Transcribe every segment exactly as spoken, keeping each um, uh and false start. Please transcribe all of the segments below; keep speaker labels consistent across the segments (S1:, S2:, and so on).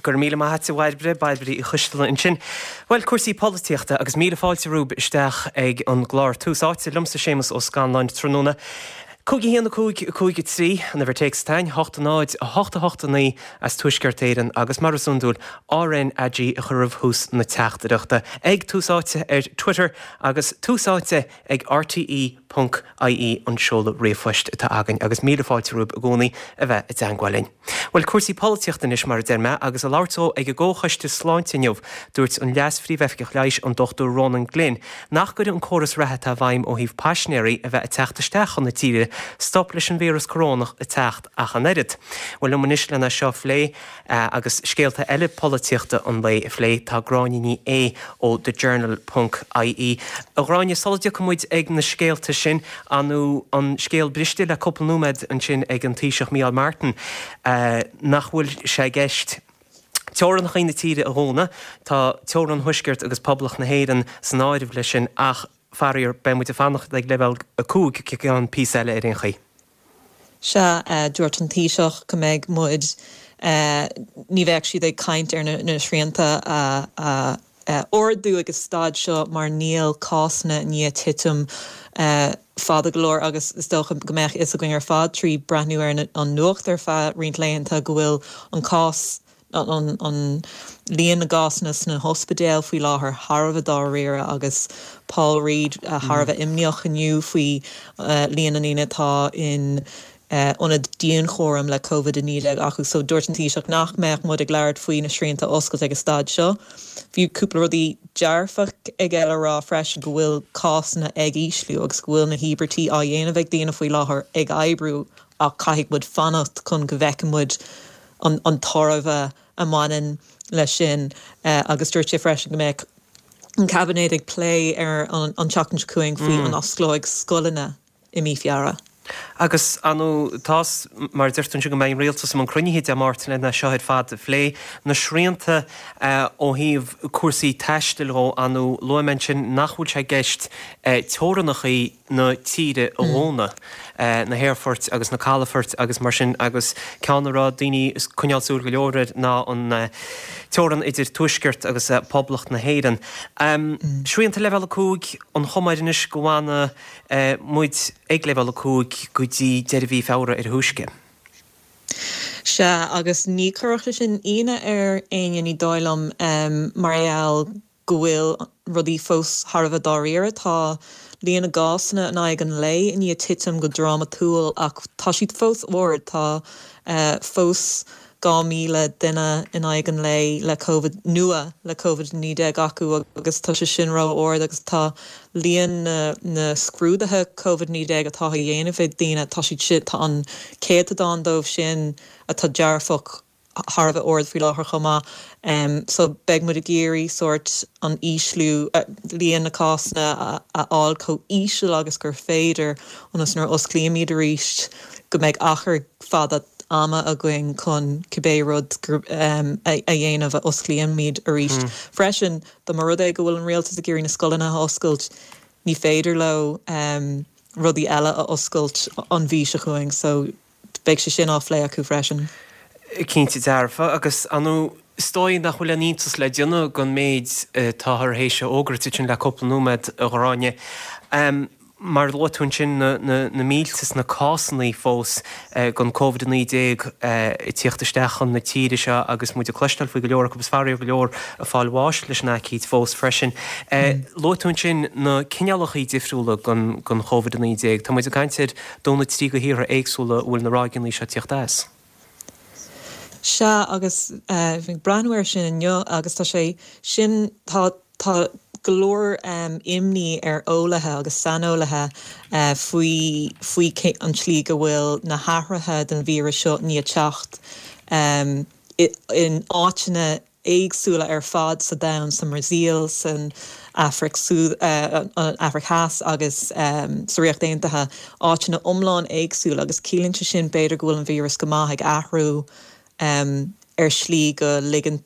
S1: Go raibh míle maith agat, a Bhairbre, Bairbre Uí Choisteala ansin. Bhuel, cúrsaí polaitíochta agus míle fáilte romhaibh isteach ag an gclár Tús Áite liomsa Séamus Ó Scanláin tráthnóna. Cúig a haon a cúig a cúig a trí an uimhir téacs atá ann, hocht a náid a hocht a hocht a naoi as Tuaisceart Éireann agus mar is iondúil R N A G a chur roimh thús na teachtaireachta ag Tús Áite ar Twitter agus Tús Áite ag R T E ponc I E an seoladh ríomhphoist atá againn agus míle fáilte romhaibh i gcónaí a bheith i dteangmháil linn. Bhuel, cúrsaí polaitíochta anois, mar a deir mé, agus ag labhairt dó ag an gComhchoiste Sláinte inniu, dúirt an Leas-Phríomhoifigeach Leighis, an Dochtúir Ronan Glynn, nach gcuirfidh an córas reatha atá i bhfeidhm ó thaobh paisinéirí a bheith ag teacht isteach chun na tíre stop leis an víreas corónach ag teacht ach an oiread. Bhuel, liom anois lena seo a phlé agus scéalta eile polaitíochta an lae a phlé tá Gráinne Ní Aodha ó The Journal ponc I E. A Ghráinne, sula dtiocfaidh muid ag na scéalta sin, anú an scéal briste le cúpla nóiméad ansin ag an Taoiseach Micheál Martin nach bhfuil sé i gceist teorainneacha na tíre a dhúnadh, tá teorainn Thuaisceart agus Poblacht na hÉireann san áireamh leis sin, ach faraor beidh muid ag fanacht ag leibhéal a cúig go ceann píosa eile ar aon chaoi.
S2: Sea, dúirt an Taoiseach go mbeidh muid, ní bheadh siad ag caint ar na srianta a a ardú ag an staid seo mar níl cásanna i ndiaidh titim fada go leor, agus is dócha go mbeadh fhios againn ar fad trí breathnú ar an nuacht ar feadh roinnt laethanta go bhfuil an cás an an líon na gcásanna sna hospidéil faoi láthair thar a bheith dáiríre, agus Paul Reid thar a bheith imníoch inniu faoi líon na ndaoine atá in ionad dianchúraim le Covid a naoi déag acu. So dúirt an Taoiseach nach mbeadh muid ag labhairt faoi na srianta oscailt ag an staid seo. Bhí cúpla rudaí dearfach aige le rá freisin, go bhfuil cásanna ag ísliú agus go bhfuil na híobairtí á dhéanamh ag daoine faoi láthair ag oibriú, ach caithfidh muid fanacht chun go bhfeicfidh muid an, an tairbhe a mbaineann leis sin. Agus dúirt sé freisin go mbeadh an caibinéad ag plé ar an, an tseachtain seo chugainn faoi mm. an osclóidh scoileanna i mí Feabhra.
S1: Agus anu tás mar deirtear go mbeidh rialtas an cruinnithe Dé Máirt lena seo ar fad a phlé, na srianta ó thaobh cúrsaí taistil ó anu luaigh sin nach bhfuil sé i gceist teorainneacha na tíre a dhúnadh, na haerfoirt agus na calafoirt agus mar sin, agus ceann a raibh daoine ag coinneáil súil go leor air ná an teorainn idir Tuaisceart agus Poblacht na hÉireann. Um, mm. Srianta leibhéal a cúig, an chuma air anois go bhfanfaidh muid ag leibhéal a cúig go dtí deireadh mhí Feabhra ar a thúisce.
S2: Sea, agus ní chuirfeadh sin ionadh ar éinne, ní dóigh liom, um, mar gheall go bhfuil rudaí fós thar a bheith dáiríre. Tá líon na gcásanna in aghaidh an lae i ndiaidh titim go drámatúil, ach tá siad fós ard. Tá uh, fós dhá míle duine in aghaidh an lae le COVID nua le COVID naoi déag acu, agus tá sé sin ró-ard, agus tá líon na, na scrúduithe COVID naoi déag atá á dhéanamh ag daoine, tá siad sin, tá an céatadán dóibh sin atá dearfach thar a bheith ard faoi láthair chomh maith. Um, so beidh muid ag iarraidh sórt an ísliú uh, líon na cásanna a, a fháil chomh íseal agus gur féidir, ionas nuair osclaímid arís go mbeidh achar fada ama againn chun cibé rud um, a, a dhéanamh a osclaímid arís. Mm. Freisin, dá mba rud é go bhfuil an rialtas ag iarraidh na scoileanna a oscailt, ní féidir leo um, rudaí eile a oscailt an mhí seo chugainn, so beidh sé sin á phlé acu freisin.
S1: Cinnte dearfa, agus anu is dóigh nach bhfuil aon iontas le déanamh den méid atá tar éis a fhógairt sin le cúpla nóiméad, a Ghráinne. Um, mar luaigh tú ansin na, na, na mílte is na cásanna fós eh, den COVID naoi déag eh, tíocht isteach chun na tíre seo, agus muid ag cloisteáil faoi go leor agus faraor go leor ag fáil bháis leis an aicíd fós freisin. Eh, mm. Luaigh tú ansin na cineálacha difriúla den, den COVID naoi déag. Tá muid ag caint ar dó nó trí de thíortha éagsúla bhfuil na ráigeanna seo ag tíocht as.
S2: Sea, agus uh, bhí breathnú air sin inniu, agus tá sé sin, tá tá go leor um, imní ar eolaithe agus saineolaithe uh, faoi faoi an tslí go bhfuil na hathruithe den víreas seo ag teacht um, in áiteanna éagsúla ar fad sa domhan, sa mBrasaíl, san Afraic uh, Afraic Theas agus um, sa Ríocht Aontaithe, áiteanna iomlán éagsúla, agus ciallaíonn sé sin b'fhéidir go bhfuil an víreas go maith ag athrú um, ar slí go ligeann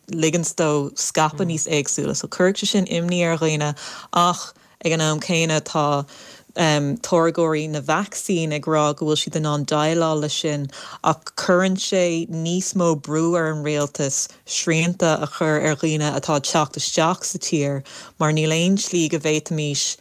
S2: dó scaipeadh mm. níos éagsúla. So cuirfidh sé sin imní ar dhaoine, ach ag an am céanna tá táirgeoirí na vacsaín ag rá go bhfuil siad in ann déileáil leis sin ach cuireann sé níos mó brú ar an rialtas srianta a chur ar dhaoine atá ag teacht isteach sa tír mar níl aon slí go bhféadfaimis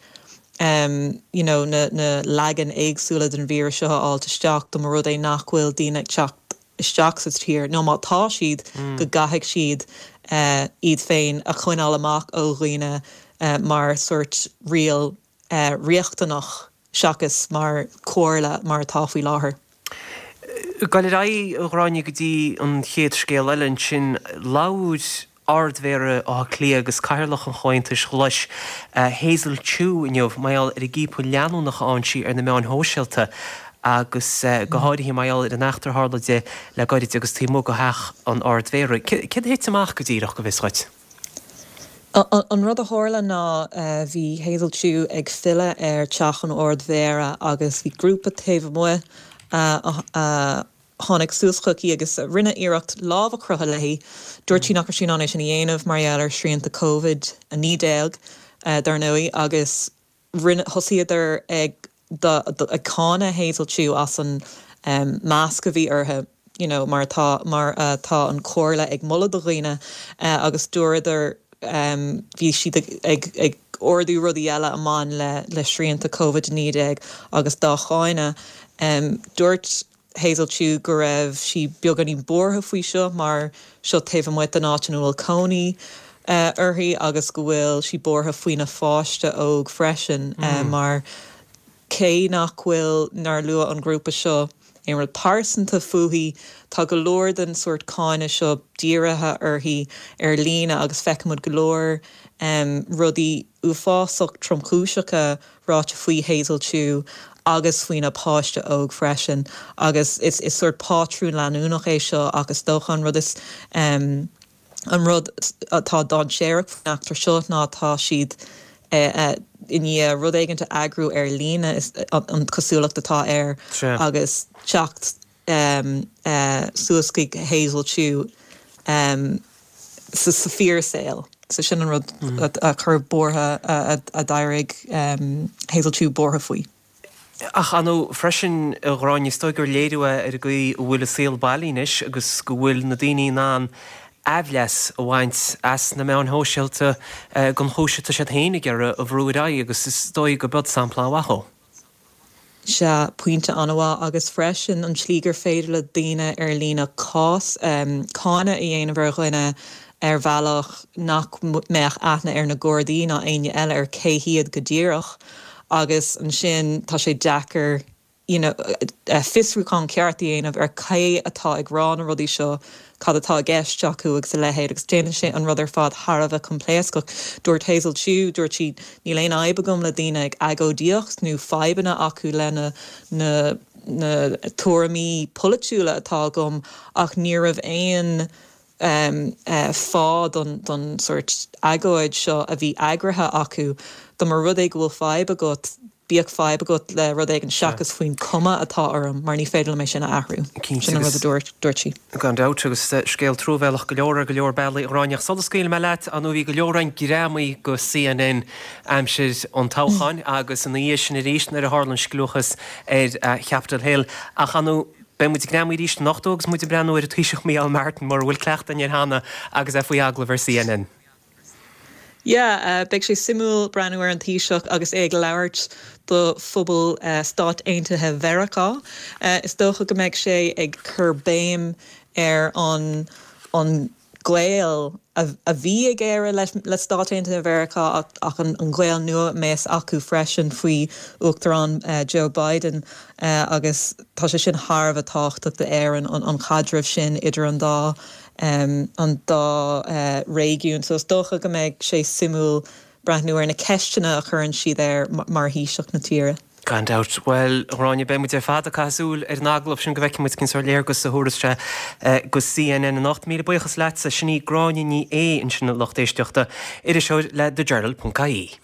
S2: um, you know, na, na leagain éagsúla den víreas seo a fháilt isteach dá mba rud é nach bhfuil daoine ag teacht isteach sa tír nó má tá siad mm. go gcaithfidh siad uh, iad féin a choinneáil amach ó dhaoine uh, mar sort riail uh, riachtanach seachas mar chomhairle mar atá faoi láthair.
S1: Ag dul ar aghaidh a Ghráinne go dtí an chéad scéal eile ansin labhair Ard-Mhéara Átha Cliath agus Cathaoirleach an Chomhaontais Ghlais Hazel Chu inniu mar gheall ar an gciapadh leanúnach a fhaigheann sí ar na meáin shóisialta agus go háirithe mar gheall ar an eachtra a tharla di le gairid agus taobh amuigh de theach an Ard-Mhéara. Céard a thit amach go díreach go bhfios dhuit?
S2: An rud a tharla ná bhí Hazel Chu ag filleadh ar teach an Ard-Mhéara agus bhí grúpa taobh amuigh a tháinig suas chuici agus rinne iarracht lámh a chroitheadh léi. Dúirt sí nach raibh sí in ann é sin a dhéanamh mar gheall ar shrianta Covid a naoi déag, dar ndóigh, agus rinne thosaíodar ag ag cáineadh Hazel Chu as an masc a bhí uirthi you know, mar atá mar atá an chomhairle ag moladh do dhaoine agus dúradar bhí siad ag ag ordú rudaí eile a bhain le le srianta Covid a naoi déag agus dá cháineadh. Dúirt Hazel Chu go raibh sí beagáinín buartha faoi seo mar seo taobh amuigh den áit ina bhfuil cónaí uirthi agus go bhfuil sí buartha faoina pháiste óg freisin mar cé nach bhfuil nár luaigh an grúpa seo aon rud pearsanta fúithi, tá go leor den sórt cáineadh seo dírithe uirthi ar líne agus feicimid go leor rudaí uafásach tromchúiseacha ráite faoi Hazel Chu agus faoina páiste óg freisin agus is is sórt pátrún leanúnach é seo ach is dócha an rud is an rud atá dainséarach faoin eachtra seo ná tá siad i ndiaidh rud éigin a eagrú ar líne is an cosúlacht atá air agus teacht suas chuig Hazel Chu sa fíorshaol. So sin an rud a chuir buartha a d'éirigh Hazel Chu buartha faoi.
S1: Ach ar ndóigh freisin, a Ghráinne, is dóigh gur léiriú é ar an gcaoi a bhfuil an saol bailithe anois agus go bhfuil na daoine in ann aimhleas a bhaint as na meáin shóisialta don chúis atá siad féin ag iarraidh a bhrú ar aghaidh agus is dóigh go b'iod sampla mhaith dhó.
S2: Sea, pointe an-mhaith agus freisin an tslí gur féidir le daoine ar líne cás, cáineadh a dhéanamh ar dhuine ar bhealach nach mbeadh aithne ar na Gardaí ná éinne eile ar cé hiad go díreach agus ansin tá sé deacair you know, fiosrúchán ceart a dhéanamh ar cé atá ag rá na rudaí seo, cad atá i gceist acu agus a leithéid agus déanann sé an rud ar fad thar a bheith coimpléascach. Dúirt Hazel Chu, dúirt sí, níl aon fhadhb agam le daoine ag agóidíocht nó fadhbanna acu lena na na tuairimí polaitiúla atá agam ach ní raibh aon fáth don don sórt agóid seo a bhí eagraithe acu. Dá mba rud é go bhfuil fadhb agat, bíodh fadhb agat le rud éigin seachas faoin cuma atá orm mar ní féidir liom é sin a athrú. Sin an rud a dúirt dúirt sí.
S1: Gan dabht, agus scéal truamhéalach go leor ar go leor bealaí, a Ghráinne. Ach sula scaoilfidh mé leat, ar ndóigh bhí go leor againn greamaithe go CNN aimsir an toghcháin agus ina dhiaidh sin arís nuair a tharla an scliúchas ar Capitol Hill. Ach ar ndóigh beidh muid greamaithe arís anocht agus muid ag breathnú ar an Taoiseach Micheál Martin mura bhfuil cleachtadh air cheana agus é faoi agallamh ar CNN.
S2: Yeah, beidh sé suimiúil breathnú ar an Taoiseach agus é ag labhairt do phobal Stáit Aontaithe Mheiriceá. Is dócha go mbeidh sé ag cur béim ar an an gaol a bhí ag Éire le Stáit Aontaithe Mheiriceá ach an gaol nua a mbeas acu freisin faoi Uachtarán Joe Biden agus tá sé sin thar a bheith tábhachtach d'Éirinn an caidreamh sin idir an dá an dá réigiún. So is dócha go mbeidh sé suimiúil breathnú ar na ceisteanna a chuireann siad air mar Thaoiseach na tíre.
S1: Gan dabht. Bhuel, a Ghráinne, beidh muid ar fad ag caitheamh súil ar an agallamh sin go bhfeicfidh muid cén sórt léargas a thabharfas sé go CNN anocht. Míle buíochas leatsa. Sin í Gráinne Ní Aodha ansin a lucht éisteachta, iriseoir le The Journal ponc ie.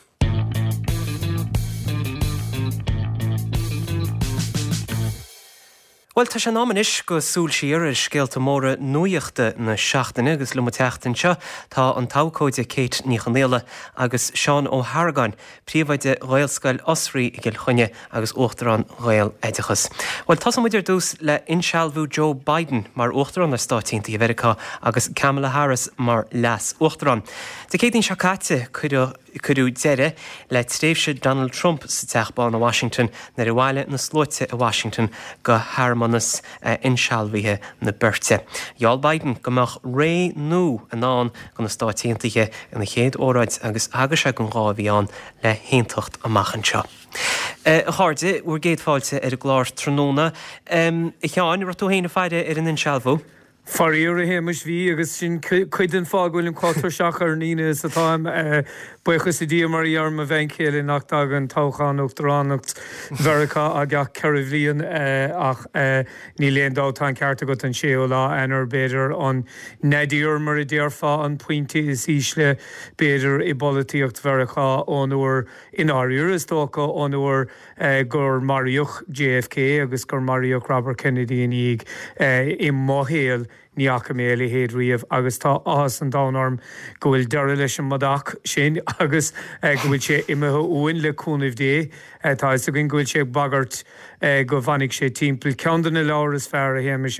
S1: Bhuel, tá sé in am anois go súil siar ar scéalta móra nuachta na seachtaine agus liom an tseachtain seo tá an t-abhcóide Kate Ní Chonghaile agus Seán Ó hArgáin, príomhoide Ghaelscoil Osraí i gCill Chainnigh agus Uachtarán Ghaeloideachas. Bhuel, tosóidh muid ar dtús le insealbhú Joe Biden mar Uachtarán ar Stáit Aontaithe Mheiriceá agus Kamala Harris mar leas-Uachtarán. Dé Céadaoin seo caite cuireadh cuireadh deireadh le tréimhse Donald Trump sa Teach Bán i Washington nuair a bhailigh na sluaite i Washington go shearmanas insealbhaithe na beirte. Gheall Biden go mbeadh ré nua i ndán do na Stáit Aontaithe ina chéad óráid agus thagair sé don ghá a bhí ann le haontacht amach anseo. A chairde, bhur gcéad fáilte ar an gclár tráthnóna. A Sheáin, raibh tú féin ag faire ar an insealbhú?
S3: Faraor a Shéamais bhí agus sin cuid den fáth go bhfuilim chomh tuirseach ar an Aoine is atáim. Buíochas le Dia mar a deir mo bhean chéile nach dtagann toghchán uachtaránacht Mheiriceá gach ceithre bhliain ach níl aon dabht tá an ceart agat an séú lá Eanáir b'fhéidir an nadir mar a déarfá an pointe is ísle b'fhéidir i bpolaitíocht Mheiriceá ón uair i ndáiríre is dócha ón uair gur maraíodh JFK agus gur maraíodh Robert Kennedy ina dhiaidh i mo shaol ní fhaca mé a leithéid riamh agus tá áthas an domhain orm go bhfuil deireadh leis an mbodach sin agus go bhfuil sé imithe uainn le cúnamh Dé. Tá fhios againn go bhfuil sé ag bagairt go bhfanfaidh sé timpeall. Ceann de na leabhair is fearr a Shéamais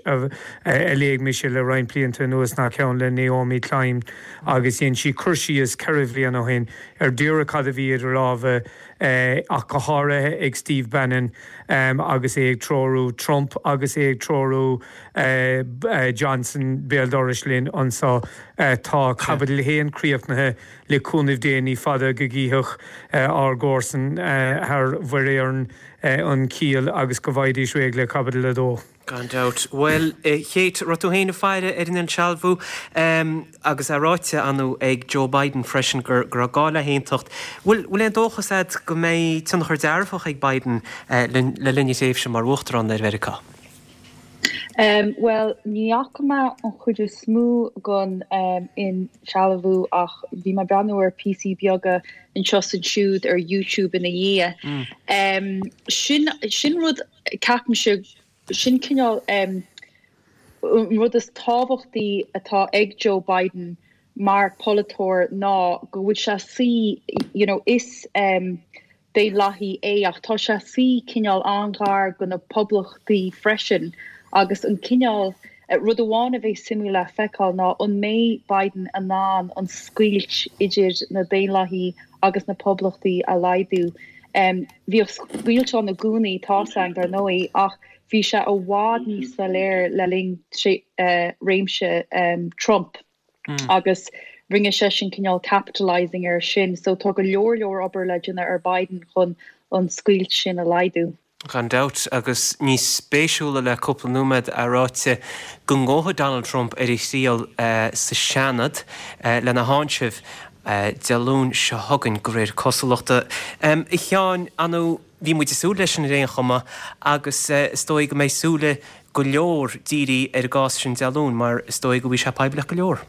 S3: a léigh mise le roinnt blianta anuas ná ceann le Naomi Klein agus dhein sí cur síos ceithre bhliain ó shin ar díreach cad a bhí idir lámha ach go háirithe ag Steve Bannon agus é ag treorú Trump agus é ag treorú Johnson béal dorais linn anseo. Tá caibidil a haon críochnaithe le cúnamh Dé ní fada go gcífeadh ár gcomharsain thar Mhuir Éireann an ciall agus go bhfaighidís réidh le caibidil a dó.
S1: Gan dabht. Bhuel, a Kate, raibh tú féin ag faire ar an insealbhú agus é ráite ann ag Joe Biden freisin gur go raibh gá le haontacht. Bhfuil bhfuil aon dóchas agat go mbeidh tionchar dearfach ag Biden le linn a thréimhse mar uachtarán ar Mheiriceá?
S4: Um, well, ní fhaca mé an chuid is mó den um, insealbhú ach bhí mé breathnú ar píosaí beaga anseo is ansiúd ar YouTube ina dhiaidh. Mm. Um, sin, sin rud ceapaimse sin cineál um, rud is tábhachtaí atá ag Joe Biden mar polaiteoir ná go bhfuil sé sí you know, is um, Daonlathaí é ach tá sé sí cineál an-ghar do na poblachtaí freisin agus an cineál eh, rud amháin a bheidh suimiúil le feiceáil ná an mbeidh Biden in ann an scoilt idir na Daonlathaí agus na poblachtaí a laghdú. Um, Bhíodh scoilt ann i gcónaí tá an dar ndóigh ach bhí sé i bhfad níos soiléire le linn uh, réimse um, Trump mm. agus rinne sé sin cineál capitalizing ar sin, so tá go leor leor obair le déanamh ar Biden chun an scoilt sin a laghdú.
S1: Gan dabht agus níos spéisiúla le cúpla nóiméad é ráite go ngabhfaidh Donald Trump ar a thriail uh, sa Seanad uh, lena tháinseamh uh, Dé Luain seo chugainn de réir cosúlachta. Um, a Sheáin anu bhí muid ag súil leis an ar aon chuma agus uh, is dóigh go mbeidh súile go leor dírithe ar an gcás sin Dé Luain mar is dóigh go bhfuil sé poiblí go leor.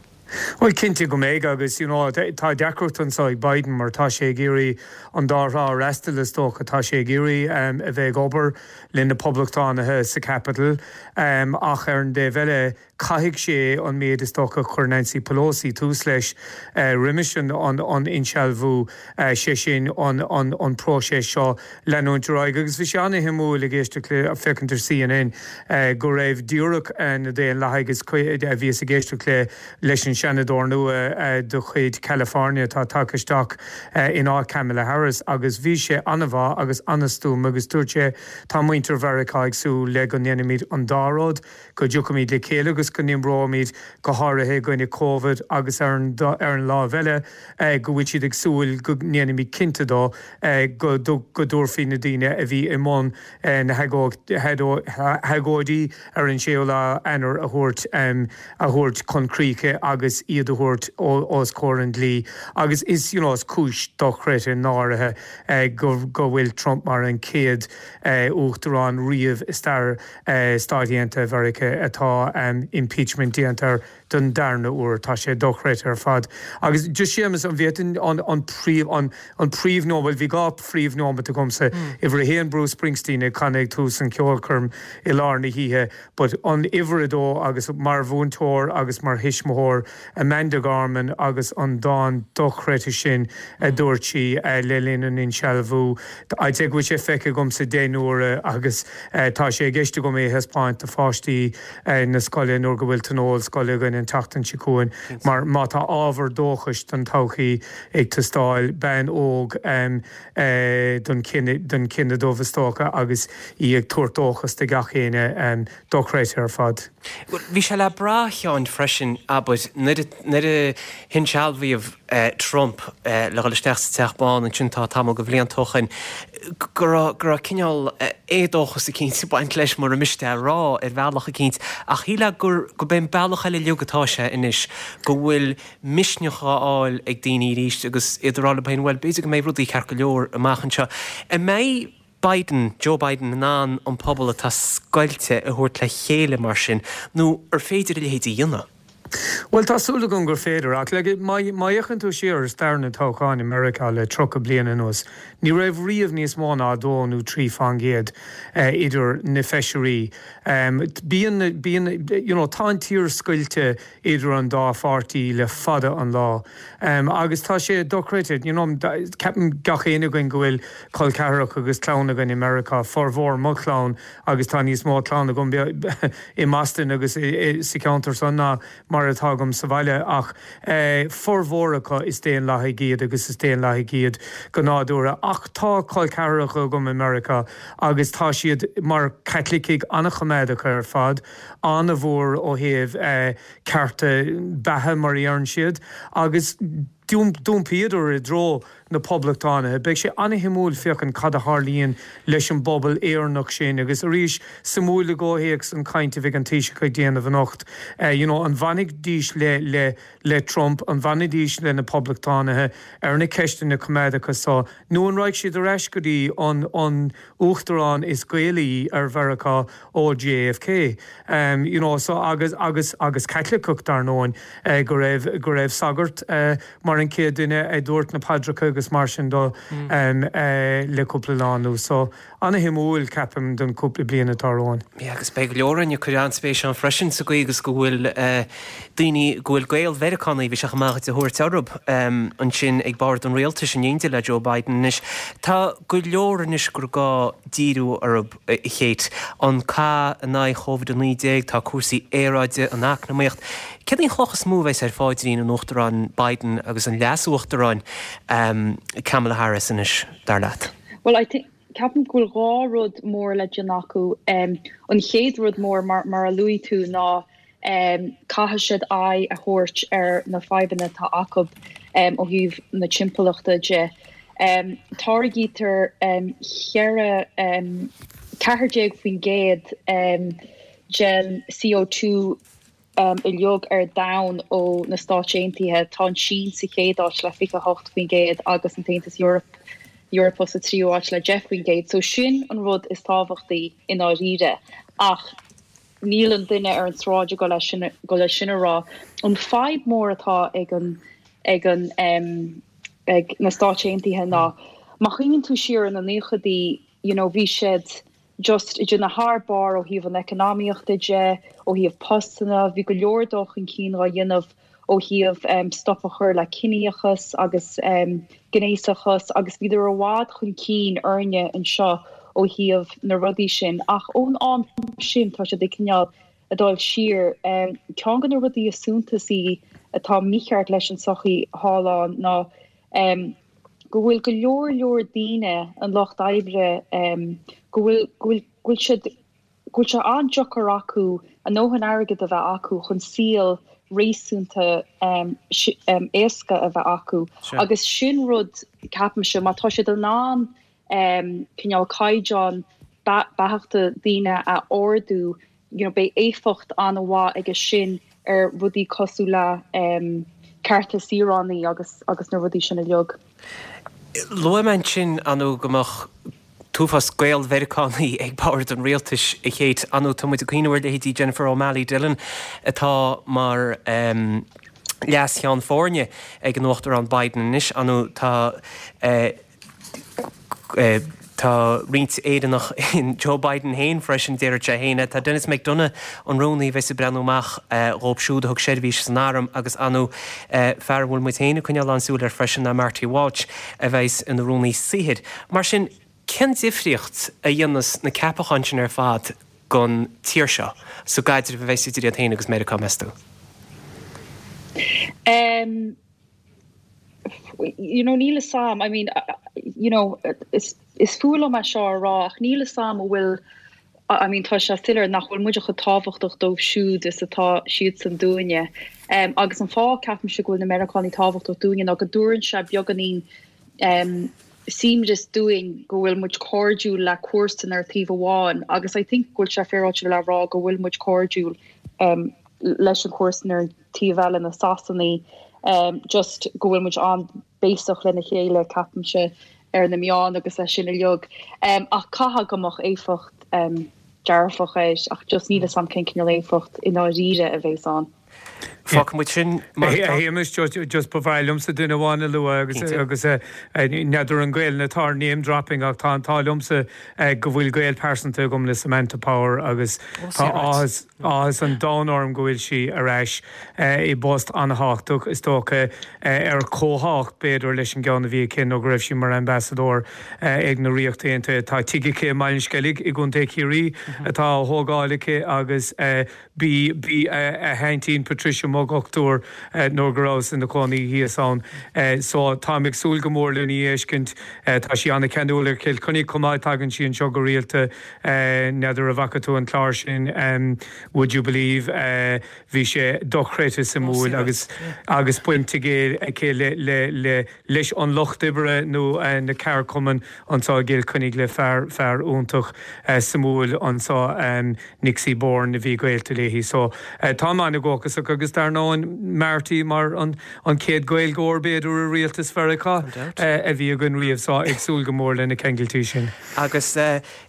S3: Well cinnte go mbeidh agus you know, tá deacracht anseo ag Biden mar tá sé ag iarraidh an dá thrá a fhreastal is dócha tá sé ag iarraidh um, a bheith ag obair le na poblachtánaithe sa Capitol um, ach ar an dtaobh eile caithfidh sé an méid is dócha chuir Nancy Pelosi tús leis uh, roimis an, an, an insealbhú uh, sé sin an, an, an próiseas seo leanúint ar aghaidh agus bhí sé an-shuimiúil ag éisteacht le féachaint ar CNN uh, go raibh díreach uh, na Daonlathaigh agus a bhíos ag éisteacht le leis an seanadóir nua uh, de chuid California tá tagtha isteach uh, in áit Kamala Harris agus bhí sé an-mhaith agus an-stuama agus dúirt sé tá muintir Mheiriceá ag súil le go ndéanfaimid an dá rud go dtiocfaimid le chéile agus go n-oibreoimid go háirithe i gcoinne COVID agus ar an ar an lámh eile eh, go bhfuil siad ag súil go ndéanfaimid cinnte de eh, go go dtabharfaí na daoine a bhí i mbun eh, na hagóidí ar an séú lá Eanáir a thabhairt a thabhairt chun críche agus agus iad a thabhairt os comhair an dlí agus is you know, is cúis dochreidte náirithe eh, go, go bhfuil Trump mar an chéad eh, uachtarán riamh i stair eh, Stáit Aontaithe Mheiriceá atá um, impeachment déanta don darna uair tá sé dochreidte ar fad. Agus just Séamus an bhféadfainn an, an príomh an, an príomhnóiméad bhí dhá phríomhnóiméad agamsa mm. Uimhir a haon Bruce Springsteen ag canadh tús an ceolchoirm i lár na hoíche, but an uimhir a dó agus mar mhúinteoir agus mar thuismitheoir Amanda Gorman agus an dán dochreidte sin a dúirt sí le linn an insealbhú. I'd say go bhfuil sé feicthe agamsa deich n-uaire agus tá sé i gceist agam é a thaispeáint do pháistí na scoile nuair go bhfuil tionól scoile againn an tseachtain seo chugainn mar má tá ábhar dóchais don todhchaí ag teastáil bean óg don don chine dubh is dócha agus í ag tabhairt dóchas do gach éinne dochreidte ar fad.
S1: Bhí sé le brath a Sheáin freisin abair nuair a hinsealbhaíodh Trump le dhul isteach sa Teach Bán ansin tá tamall de bhlianta ó shin go raibh go raibh cineál éadóchas eicínt ag baint leis mura miste a rá ar bhealach eicínt ach shílfeá gur go b'é an bealach eile uilig atá sé anois go bhfuil misneach á fháil ag daoine arís agus iad ag rá leo féin bhuel b'fhéidir go mbeidh rudaí ceart go leor amach anseo. An mbeidh Biden, Joe Biden in ann an pobal atá scoilte a thabhairt le chéile mar sin nó ar féidir a leithéid a dhéanamh?
S3: Well tá súil agam gur féidir ach le má fhéachann tú siar ar stair na toghcháin i Meiriceá le tríocha bliain anuas, ní raibh riamh níos mó ná dó nó trí faoin gcéad idir na feisirí. Bíonn bíonn you know, tá an tír scoilte idir an dá pháirtí le fada an lá. Um, agus tá sé dochreidte, you know, ceapann gach éinne againn go bhfuil col ceathracha agus clann againn i Meiriceá, formhór mo chlann agus tá níos mó clann agam i mBoston agus sa cheantar san ná mar atá agam sa bhaile ach eh, formhór acu is Daonlathaigh iad agus is Daonlathaigh iad go nádúrtha ach tá col ceathracha agam i Meiriceá agus tá siad mar Chaitlicigh an-choimeádach ar fad an-mhór ó thaobh eh, cearta beatha mar a deireann siad agus d'iompaíodar i dtreo na poblachtánaithe. Beidh sé an-shuimiúil féachaint cad a tharlaíonn leis an bpobal Éireannach sin agus arís suimiúil i gcomhthéacs an chaint a bheidh an Taoiseach ag déanamh anocht. Uh, you know, an bhfanfaidís le, le, le Trump, an bhfanfaidís le na poblachtánaithe ar na ceisteanna coimeádacha seo, nó an raghaidh siad ar ais go dtí an, an uachtarán is Gaelaí ar Mheiriceá ó JFK. Um, you know, so agus, agus, agus Caitliceach dar ndóigh uh, go raibh go raibh sagart uh, mar an chéad duine a dúirt na paidreacha agus mar sin do mm. um, uh, le cúpla lá anuas. So an-shuimiúil ceapaim don cúpla bliain atá romhainn.
S1: Yeah, agus beidh go leor ag cur an-spéis ann freisin sa gcaoi agus go bhfuil uh, daoine go bhfuil Gael-Mheiriceánaigh bhí sé amach de thuairt orthu um, ansin ag bord an rialtais in éindí le Joe Biden anois. Tá go leor anois gur gá díriú orthu a Chéit an cath in aghaidh Covid a naoi déag tá cúrsaí aeráide an eacnamaíocht. Céard í an chloch is mó a bheas ar phaidrín an Uachtaráin Biden agus an leas-uachtaráin um, Kamala Harris anois dar leat.
S4: Well, I think ceapaim go bhfuil dhá rud mór le déanamh acu um, an chéad rud mór mar, mar a luaigh tú ná um, caithfidh siad aghaidh a thabhairt ar na fadhbanna atá acu um, ó thaobh na timpeallachta de. Um, táirgítear um, cheithre um, ceathair déag faoin gcéad um, den C O two um, uilig ar domhan ó na Stáit Aontaithe tá an Sín sa chéad áit le fiche hocht faoin gcéad agus an tAontas Eorpach Eorpach sa tríú áit le deich faoin gcéad, so sin an rud is tábhachtaí i ndáiríre ach níl an duine ar an sráid go leis sin go leis sin a rá. An fadhb mór atá ag an ag an um, ag na Stáit Aontaithe ná má chuimhníonn tú siar na nóchaidí you know, bhí siad just ag déanamh thar barr ó thaobh an eacnamaíochta de, ó thaobh postanna, bhí go leor dul chun cinn á dhéanamh ó thaobh um, stop a chur le ciníochas agus um, gnéasachas agus bhíodar i bhfad chun cinn orainne anseo ó thaobh na rudaí sin ach ón am sin tá siad ag cineál ag dul siar um, ceann de na rudaí is suntasaí atá mícheart leis an sochaí thall ann ná um, go bhfuil go leor leor daoine an lucht oibre um, go bhfuil go bhfuil go bhfuil siad go bhfuil sé an-deacair acu a ndóthain airgead a bheith acu chun saol réasúnta um, um, éasca a bheith acu.
S1: Sure.
S4: Agus sin rud ceapaimse má tá siad in ann um, cineál caighdeán beathachta daoine a ardú, you know, beidh éifeacht an-mhaith aige sin ar rudaí cosúil le um, cearta saoránaí agus agus na rudaí sin uilig.
S1: Luaigh mé ansin anu go mbeadh t-uafás Gael-Mheiriceánaí ag bord an rialtais a Chéit anu tá muid ag cuimhneamh ar leithéidí Jennifer O'Malley Dillon atá mar um, leas-cheann foirne ag an Uachtarán Biden anois anu tá uh, uh, Tá roinnt Éireannach in Joe Biden féin freisin deir sé féin tá Denis McDonough an rúnaí bheas ag breathnú amach dhóibh siúd a thug seirbhís san arm agus anu fear a bhfuil muid féin ag coinneáil an-súil air freisin ná Marty Walsh a bheas ina rúnaí saothair. Mar sin cén difríocht a dhéanas na ceapacháin sin ar fad don tír seo sa gcaidreamh a bheas idir iad féin agus Meiriceá meas tú?
S4: Um, you know, níl a fhios a'm I mean, uh, you know, is is fuath liom é seo a rá ach níl a fhios a'm bhfuil I mean tá sé soiléir nach bhfuil muid chomh tábhachtach dóibh siúd is atá siadsan dúinne. Um, agus an fáth ceapaimse go bhfuil na Meiriceánaigh tábhachtach dúinne ná go dtabharann sé beagáinín um, suaimhneas dúinn go bhfuil muid cairdiúil le comharsan ar taobh amháin agus I think go bhfuil sé féaráilte le rá go bhfuil muid cairdiúil um, leis an comharsan ar taobh eile na Sasanaigh um, just go bhfuil muid an-bhéasach lena chéile ceapaimse ar na meáin agus é sin uilig. Um, ach caithfidh go mbeadh éifeacht um, dearfach air ach just níl a fhios a'm cén cineál éifeacht i ndáiríre a bheas ann.
S1: Fágfaidh muid sin
S3: Shéamuis just ba bhreá liomsa duine amháin a lua agus agus n'fheadar an Gael atá name dropping ach tá an t-ádh liomsa go bhfuil gaol pearsanta agam le Samantha Power agus tá áthas áthas an domhain orm go bhfuil sí ar ais i bpost an-tábhachtach is dócha ar chomhthábhacht b'fhéidir leis an gceann a bhí aici nó go raibh sí mar ambasadóir ag na Ríocht Aontaithe tá tigh aici i mBaile an Sceilg i gContae Chiarraí atá á thógáil aici agus bhí bhí a haintín Patricia mo dhochtúir nuair go rabhas ina cónaí thíos ann. So táim ag súil go mór lena fheiscint tá sí an-cheanúil ar Chill Chainnigh chomh maith tagann sí anseo go rialta n'fheadar an bhfaca tú an clár sin Would You Believe bhí sé dochreidte suimiúil agus agus baint aici le le le leis an lucht oibre nó na ceardchumainn anseo i gCill Chainnigh le fear fear iontach suimiúil anseo Nixie Bourne a bhí gaolta léi so tá an-dhóchasach agus dar ndóigh Marty mar an an chéad Ghaeilgeoir b'fhéidir i rialtas Mheiriceá a bhí againn riamh so ag súil go mór lena ceangailtí sin.
S1: Agus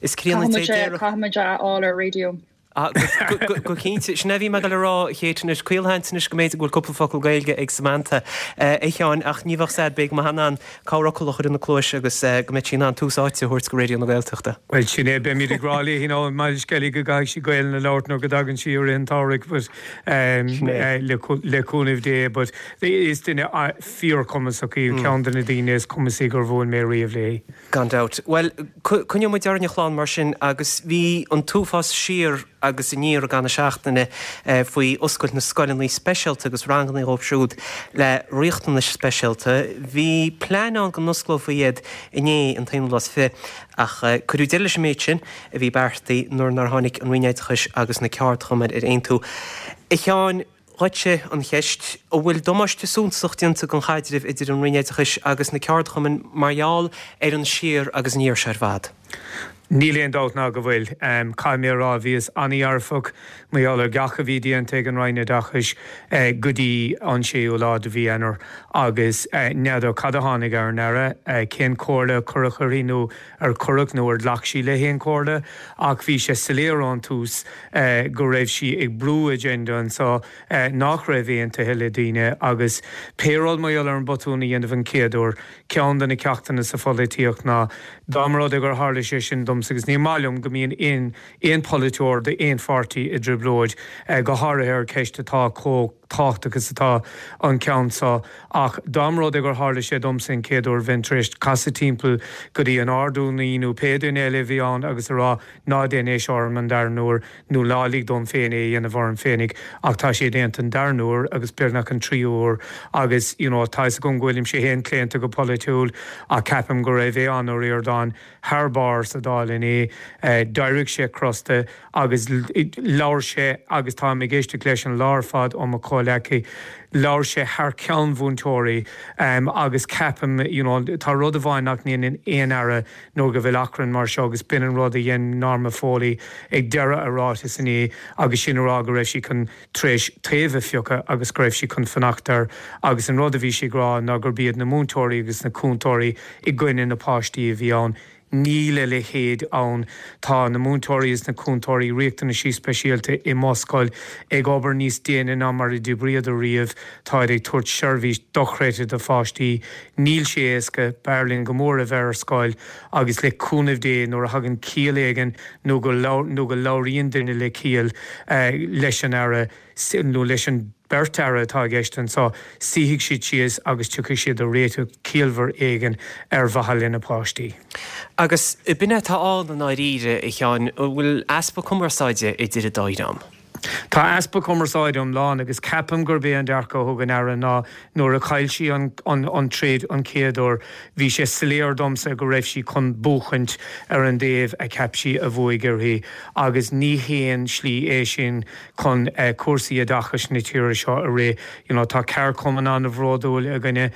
S1: is críonna
S4: Caithfimid a fháil ar raidió.
S1: Go cinnte sin a bhí mé le rá chétanis caolhantanis go méid go bhfuil cúpla focal Gaeilge ag Samantha a Sheáin ach ní bheadh sad big ma hanan cabhrachla chur na cluis agus go mbeidh sí in ann tús áite a thabhairt go Raidió na Gaeltachta.
S3: Well sin é beimid ag rá léi nó mar sceilí go gcaithfidh sí Gaeilge a labhairt nó go dtagann sí ar an táirg but le le cúnamh Dé but is duine fíorchumasach í ceann de na daoine is cumasaí gur bhuail mé riamh léi.
S1: Gan dabht. Well coinneoidh muid orainn a chlann mar sin agus bhí an t-uafás siar agus aniar ag an seachtaine faoi oscailt na scoileanna speisialta agus ranganna dhóibh siúd le riachtanais speisialta. Bhí plean ann go n-osclófaí iad inné an t-aonú lá is fiche ach cuireadh deireadh leis an méid sin a bhí beartaithe nuair nár tháinig an Roinn Oideachais agus na ceardchumainn ar aontú. A Sheáin, dhuitse an cheist, an bhfuil damáiste suntasach déanta don chaidreamh idir an Roinn Oideachais agus na ceardchumainn mar gheall ar an siar agus aniar seo ar fad?
S3: Níl aon dabht ná go bhfuil. Caithfidh mé a rá bhíos an-dhearfach mar gheall ar gach a bhí déanta ag an Roinn Oideachais go dtí an séú lá de mhí Eanáir agus n'fheadar cad a tháinig ar an Aire, cén comhairle a cuireadh uirthi nó ar cuireadh nó ar ghlac sí le haon chomhairle ach bhí sé soiléir ón tús go raibh sí ag brú agenda anseo nach raibh aontaithe le daoine agus pé rud mar gheall ar an botún a dhéanamh an chéad uair, ceann de na ceachtanna sa pholaitíocht ná dá mba rud é gur tharla sé sin domsa agus ní maith liom go mbíonn aon aon pholaiteoir d'aon pháirtí i dtrioblóid, go háirithe ar cheist atá chomh tábhachtach is atá an ceann seo ach dá mba rud é gur tharla sé domsa an chéad uair bheinn tar éis casadh timpeall go dtí an Ard-Rúnaí nó pé duine eile a bhí ann agus a rá ná déan é seo orm an dara huair nó ná lig dom féin é a dhéanamh orm féinig ach tá sé déanta an dara huair agus beagnach an tríú huair agus you know tá fhios agam go bhfuilimse féin claonta go polaitiúil ach ceapaim go raibh Aodhán Ó Ríordáin thar barr sa Dáil inné. D'éirigh sé crosta agus labhair sé agus táim ag éisteacht leis an lá ar fad ó mo chodladh. comhghleacaí, labhair sé thar ceann mhúinteoirí agus ceapaim, you know, tá rud amháin nach ndéanann aon aire nuair go bhfuil achrann mar seo agus b'in an rud a dhein Norma Foley ag deireadh a ráitis inné agus sin a rá go raibh sí chun tar éis taobh a phiocadh agus go raibh sí chun fanacht air agus an rud a bhí sí ag rá ná gurb iad na múinteoirí agus na cúntóirí i gcoinne na páistí a bhí ann. Níl a leithéid ann. Tá na múinteoirí is na cúntóirí riachtanaisí speisialta i mo scoil ag obair níos déine ná mar a d'oibríodar riamh. Táid ag tabhairt seirbhís dochreidte do pháistí. Níl sé éasca. B'fhearr linn go mór a bheith ar scoil agus le cúnamh Dé nuair a thagann ciall éigin nó go nó go labhraíonn duine le ciall leis an Aire nó leis an beirt Aire atá i gceist anseo, suífidh siad síos agus tiocfaidh siad ar réiteach ciallmhar éigin ar mhaithe lena páistí.
S1: Agus b'in é atá ann i ndáiríre, a Sheáin, an bhfuil easpa cumarsáide idir an dá dhream?
S3: Tá easpa cumarsáide iomlán agus ceapaim gurb é an dearcadh a thug an Aire ná nuair a chaill sí an an troid an chéad uair, bhí sé soiléir domsa go raibh sí chun buachaint ar an dtaobh a cheap sí a bhuaigh uirthi agus ní haon slí é sin chun cúrsaí oideachais na tíre seo a rith. You know, tá ceardchumann an-bhródúil againne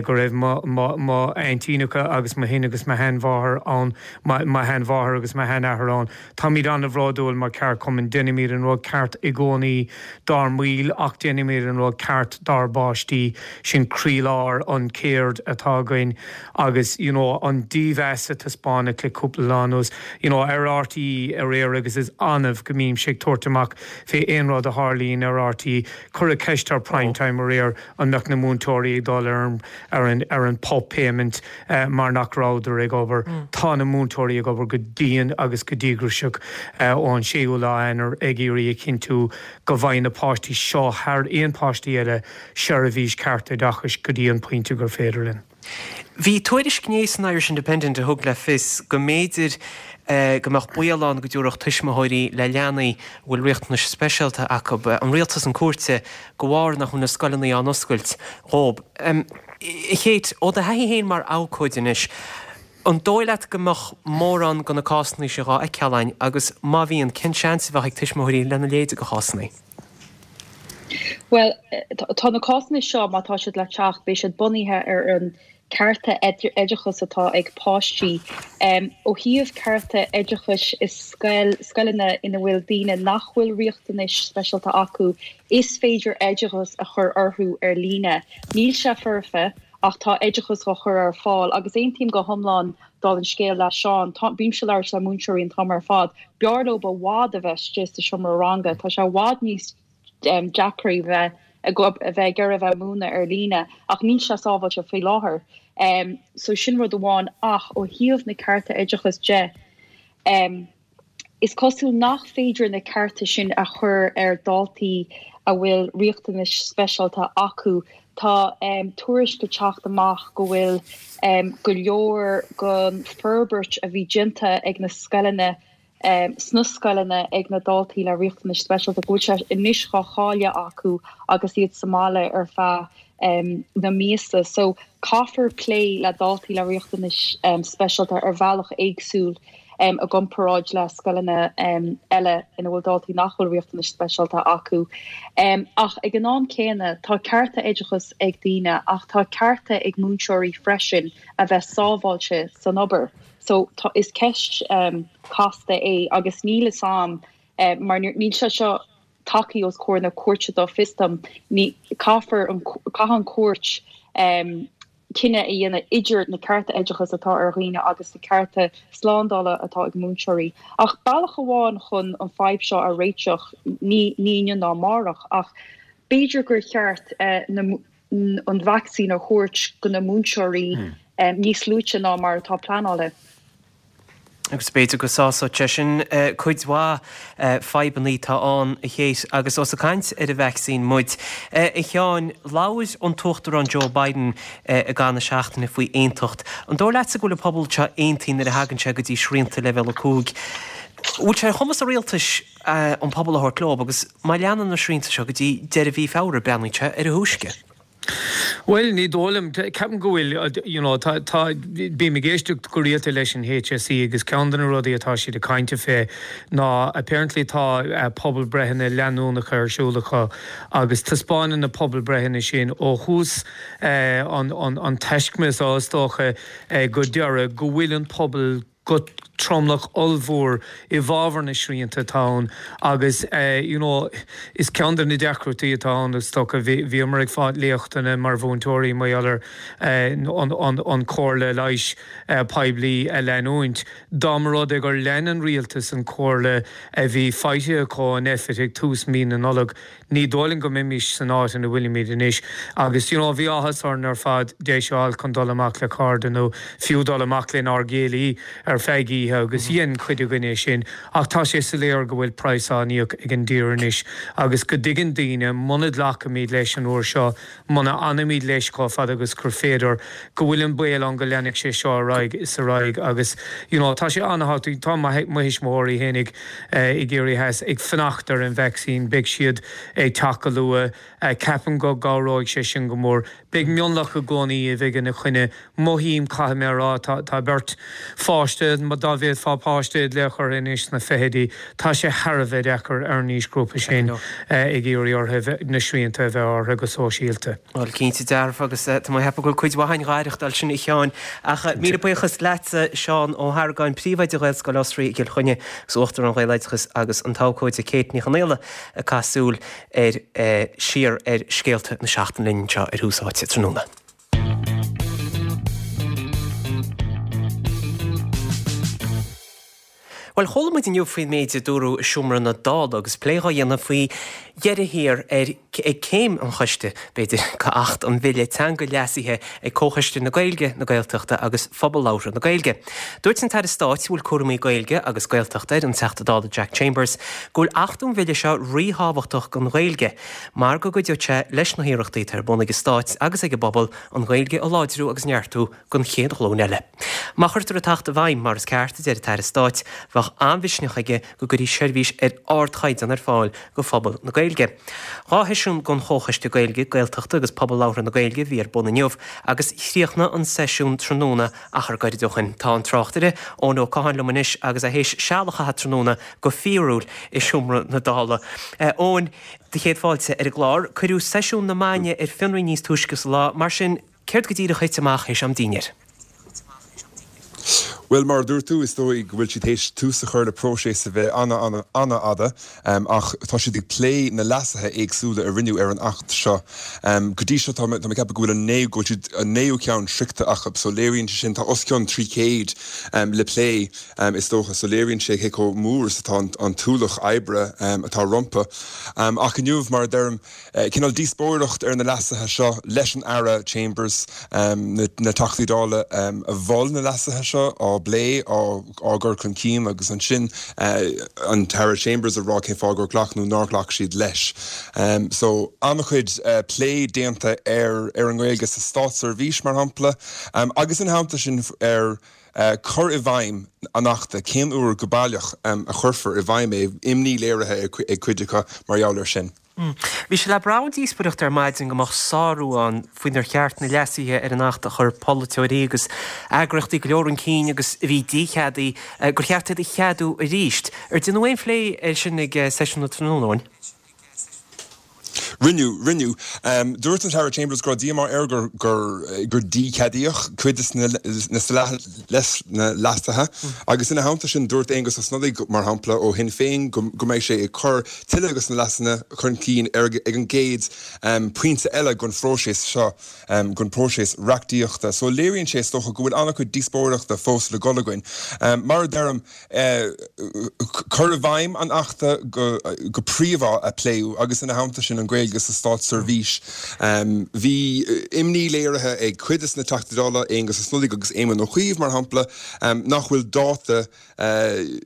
S3: go raibh mo mo mo aintíneacha agus mo shin agus mo sheanmháthair ann, mo sheanmháthair agus mo sheanathair ann. Táimid an-bhródúil mar cheardchumann, déanaimid an rud ceart i gcónaí dár mbaill ach déanaimid an rud ceart dár bpáistí. Sin croílár an céird atá againn agus you know an dímheas a taispeánadh le cúpla lá anuas you know ar RTÉ aréir agus is annamh go mbímse ag tabhairt amach fé aon rud a tharlaíonn ar RTÉ. Cuireadh ceist ar Prime Time aréir an mbeadh na múinteoirí ag dul ar an ar an ar an PUP payment mar nach rabhadar ag obair. Tá na múinteoirí ag obair go dian agus go díograiseach ón séú lá Eanáir ag iarraidh a chinntiú go bhfaigheann na páistí seo thar aon páistí eile seirbhís ceart oideachais go dtí an pointe gur féidir linn.
S1: Bhí tuairisc inné san Irish Independent a thug le fios go mb'fhéidir go mbeadh baol ann go dtabharfadh tuismitheoirí le leanaí a bhfuil riachtanais speisialta acu an rialtas chun cúirte de bharr nach bhfuil na scoileanna á n-oscailt dhóibh. A Kate, ó do thaithí féin mar abhcóide anois, an dóigh leat go mbeadh mórán de na cásanna seo dhá fheiceáil againn agus má bhíonn, cén seans a bheadh ag tuismitheoirí lena leithéid de chásanna?
S4: Bhuel, tá na cásanna seo, má tá siad le teacht, beidh siad bunaithe ar an cearta oideachais atá ag páistí. Ó thaobh cearta oideachais i scoil, scoileanna ina bhfuil daoine nach bhfuil riachtanais speisialta acu, is féidir oideachas a chur orthu ar líne. Níl sé foirfe ach tá oideachas á chur ar fáil agus aontaím go hiomlán dála an scéil le Seán. Tá, bímse ag labhairt le múinteoirí an t-am ar fad. B'fhearr leo i bhfad a bheith istigh sa seomra ranga. Tá sé i bhfad níos deacra bheith ag a bheith ag iarraidh a bheith ag múineadh ar líne ach níl sé sábháilte faoi láthair. Um, so sin rud amháin ach ó thaobh na cearta oideachais de, um, is cosúil nach féidir na cearta sin a chur ar daltaí a bhfuil riachtanais speisialta acu. Tá um, tuairisc ag teacht amach go bhfuil um, go leor den forbairt a bhí déanta ag na scoileanna um, sna scoileanna ag na daltaí le riachtanais speisialta go bhfuil sé anois á chailleadh acu agus iad sa mbaile ar feadh um, na míosa. So caithfear plé le daltaí le riachtanais um, speisialta ar bhealach éagsúil um, i gcomparáid le scoileanna um, eile ina bhfuil daltaí nach bhfuil riachtanais speisialta acu. Um, ach ag an am céanna tá cearta oideachais ag daoine ach tá cearta ag múinteoirí freisin a bheith sábháilte san obair. So tá is ceist um, casta é agus níl a fhios a'm uh, mar níl sé seo tagtha os comhair na cúirte dá bhfios dom ní caithfear an caithfidh an chúirt um, cinneadh a dhéanamh idir na cearta oideachais atá ar dhaoine agus na cearta slándála atá ag múinteoirí. Ach bealach amháin chun an fadhb seo a réiteach ní ní inniu ná amárach ach b'fhéidir gur cheart uh, na, an vacsaín a thabhairt go na múinteoirí hmm. um, níos luaithe ná mar atá pleanáilte.
S1: Agus b'fhéidir go sásódh sé sin eh, cuid mhaith eh, fadhbanna atá ann a Kate agus ós ag caint ar an vacsaín muid. Eh, a Sheáin labhair an tUachtarán Joe Biden i gcaitheamh na seachtaine faoi aontacht. An dóigh leatsa go bhfuil an pobal seo aontaithe nuair a thagann sé go dtí srianta leibhéal a cúig. Bhfuil sé ar chumas an rialtais an pobal a thabhairt leo agus má leanann na srianta seo go dtí deireadh mhí Feabhra breathnaíonn sé ar a thúisce.
S3: Bhuel, ní dóigh liom. Ceapaim go bhfuil, you know, tá, tá, bím ag éisteacht go rialta leis an HSE agus ceann de na rudaí atá siad ag caint fé ná apparently tá pobalbhreitheanna leanúnacha ar siúl acu agus taispeánann na pobalbhreitheanna sin ó thús an, an, an taiscme is dócha go deireadh go bhfuil an pobal go tromlach ollmhór i bhfabhar na srianta atá ann agus you know is ceann de na deacrachtaí atá ann is dócha bhíomar ag fáil léachtanna mar mhúinteoirí mar gheall ar an an comhairle leighis poiblí a leanúint. Dá mba rud é gur lean an rialtas an comhairle a bhí faighte acu ó Nphet ag tús mí na Nollag, Ní dóigh liom go mbeimis san áit ina bhfuilimid anois agus you know bhí áthas orainn ar fad deis a fháil chun dul amach le cairde nó fiú dul amach lenár gcéilí ar feadh oíche agus dhein cuid againn é sin ach tá sé soiléir go bhfuil praghas á íoc ag an dtír anois agus go dtuigeann daoine muna nglacaimid leis an uair seo, muna fhanaimid leis chomh fada agus gur féidir, go bhfuil an baol ann go leanfaidh sé seo ar aghaidh is ar aghaidh agus you know tá sé an-thábhachtach, tá mo thuismitheoirí fhéinig i gCiarraí Theas ag fanacht ar an vacsaín, beidh siad ag teacht go luath, ceapaim go gcabhróidh sé sin go mór. Beidh mionlach i gcónaí a bheidh ina choinne. Mothaím, caithfidh mé a rá, tá tá beirt pháiste, dá bhféadfá páiste a ghlaoch orthu anois sna fichidí, tá sé thar a bheith deacair ar an aoisghrúpa sin ag iarraidh orthu na srianta a bheith orthu go sóisialta.
S1: Bhuel, cinnte dearfa agus tá mé ag ceapadh go bhfuil cuid mhaith againn dhá aireachtáil sin a Sheáin. Ach míle buíochas leatsa, Seán Ó hArgáin, Príomhoide Ghaelscoil Osraí i gCill Chainnigh agus Uachtarán Ghaeloideachas agus an t-abhcóide Kate Ní Chonaola ag caitheamh súil ar siar ar scéalta na seachtaine linn anseo ar Thús Áite tráthnóna. Bhuel, chuala muid inniu faoin méid a dúradh i seomra na Dála agus plé dhá dhéanamh faoi dheireadh thiar ar ag céim an choiste, b'fhéidir, go Acht an Bhille Teanga leasaithe ag Comhchoiste na Gaeilge, na Gaeltachta agus Phobal Labhartha na Gaeilge. Dúirt an tAire Stáit a bhfuil cúramaí Gaeilge agus Gaeltachta air, an Teachta Dála Jack Chambers, go bhfuil achtú an bhille seo ríthábhachtach don Ghaeilge mar go gcuideoidh sé leis na hiarrachtaí atá ar bun ag an Stát agus ag an bpobal an Ghaeilge a láidriú agus neartú don chéad ghlúin eile. Má chuirtear an tAcht i bhfeidhm mar is ceart, a deir an tAire Stáit, bheadh an-mhisneach aige go gcuirfí seirbhís ar ardchaighdeán ar fáil do phobal na Gaeilge. Dhá sheisiún den Chomhchoiste Gaeilge, Gaeltachta agus Pobal Labhartha na Gaeilge a bhí ar bun inniu agus chríochnaigh an seisiún tráthnóna achar gairid ó shin. Tá an tráchtaire, Eoin Ó Catháin liom anois agus é théis seal a chaitheamh tráthnóna go fíorúil i seomra na Dála. Eoin, do chéad fáilte ar an gclár. Cuireadh seisiún na maidne ar fionraí níos túisce sa lá, mar sin, Céard go díreach a thit amach théis am dinnéir?
S5: Bhuel, mar a dúirt tú, is dóigh go bhfuil siad théis tús a chur le próiseas a bheidh an-an-an-fhada, ach tá siad ag plé na leasuithe éagsúla a rinneadh ar an Acht seo. Go dtí seo, tá mé ag ceapadh go bhfuil an naoú, go bhfuil siad, an naoú ceann sroichte acu, so léiríonn sé sin, tá os cionn trí chéad le plé, is dócha, so léiríonn sé cé chomh mór is atá an t-ualach oibre atá rompu. Ach inniu, mar a deirim, Cineál díospóireacht ar na leasuithe seo leis an Aire Chambers, na Teachtaí Dála a mhol na leasuithe seo á bplé, á gcur chun cinn agus ansin an tAire Chambers ag rá cén fáth gur ghlac nó nár ghlac siad leis. So an-chuid plé déanta ar ar an nGaeilge sa státseirbhís mar shampla agus ina theannta sin ar cur i bhfeidhm an Achta, cén uair go baileach a chuirfear i bhfeidhm é, imní léirithe ag cuid acu mar gheall air sin.
S1: Bhí sé le brath ón díospóireacht ar maidin go mbeadh sárú ann faoinar cheart na leasuithe ar an Acht a chuir polaiteoirí agus eagraíochtaí go leor chun cinn agus a bhí dícheadaithe, gur cheart iad a cheadú arís. Ar déanadh aon phlé air sin ag seisiún na tráthnóna, Eoin?
S5: Rinneadh, rinneadh. Dúirt an tAire Chambers go raibh díomá air gur, gur, gur dícheadaíodh cuid de na leasuithe agus ina theannta sin dúirt Aengus Ó Snodaigh, mar shampla, ó Shinn Féin go, go mbeidh sé ag cur tuilleadh de na leasuithe chun cinn ar, ag an gcéad pointe eile den phróiseas seo, den phróiseas reachtaíochta. So léiríonn sé, is dócha, go bhfuil an-chuid díospóireachta fós le dul againn. Mar a deirim, cur i bhfeidhm an Achta go príomha a pléadh agus ina theannta sin an Ghaeilge sa státseirbhís. Bhí imní léirithe ag cuid de na Teachtaí Dála, Aengus Ó Snodaigh agus Éamon Ó Cuív mar shampla, nach bhfuil dáta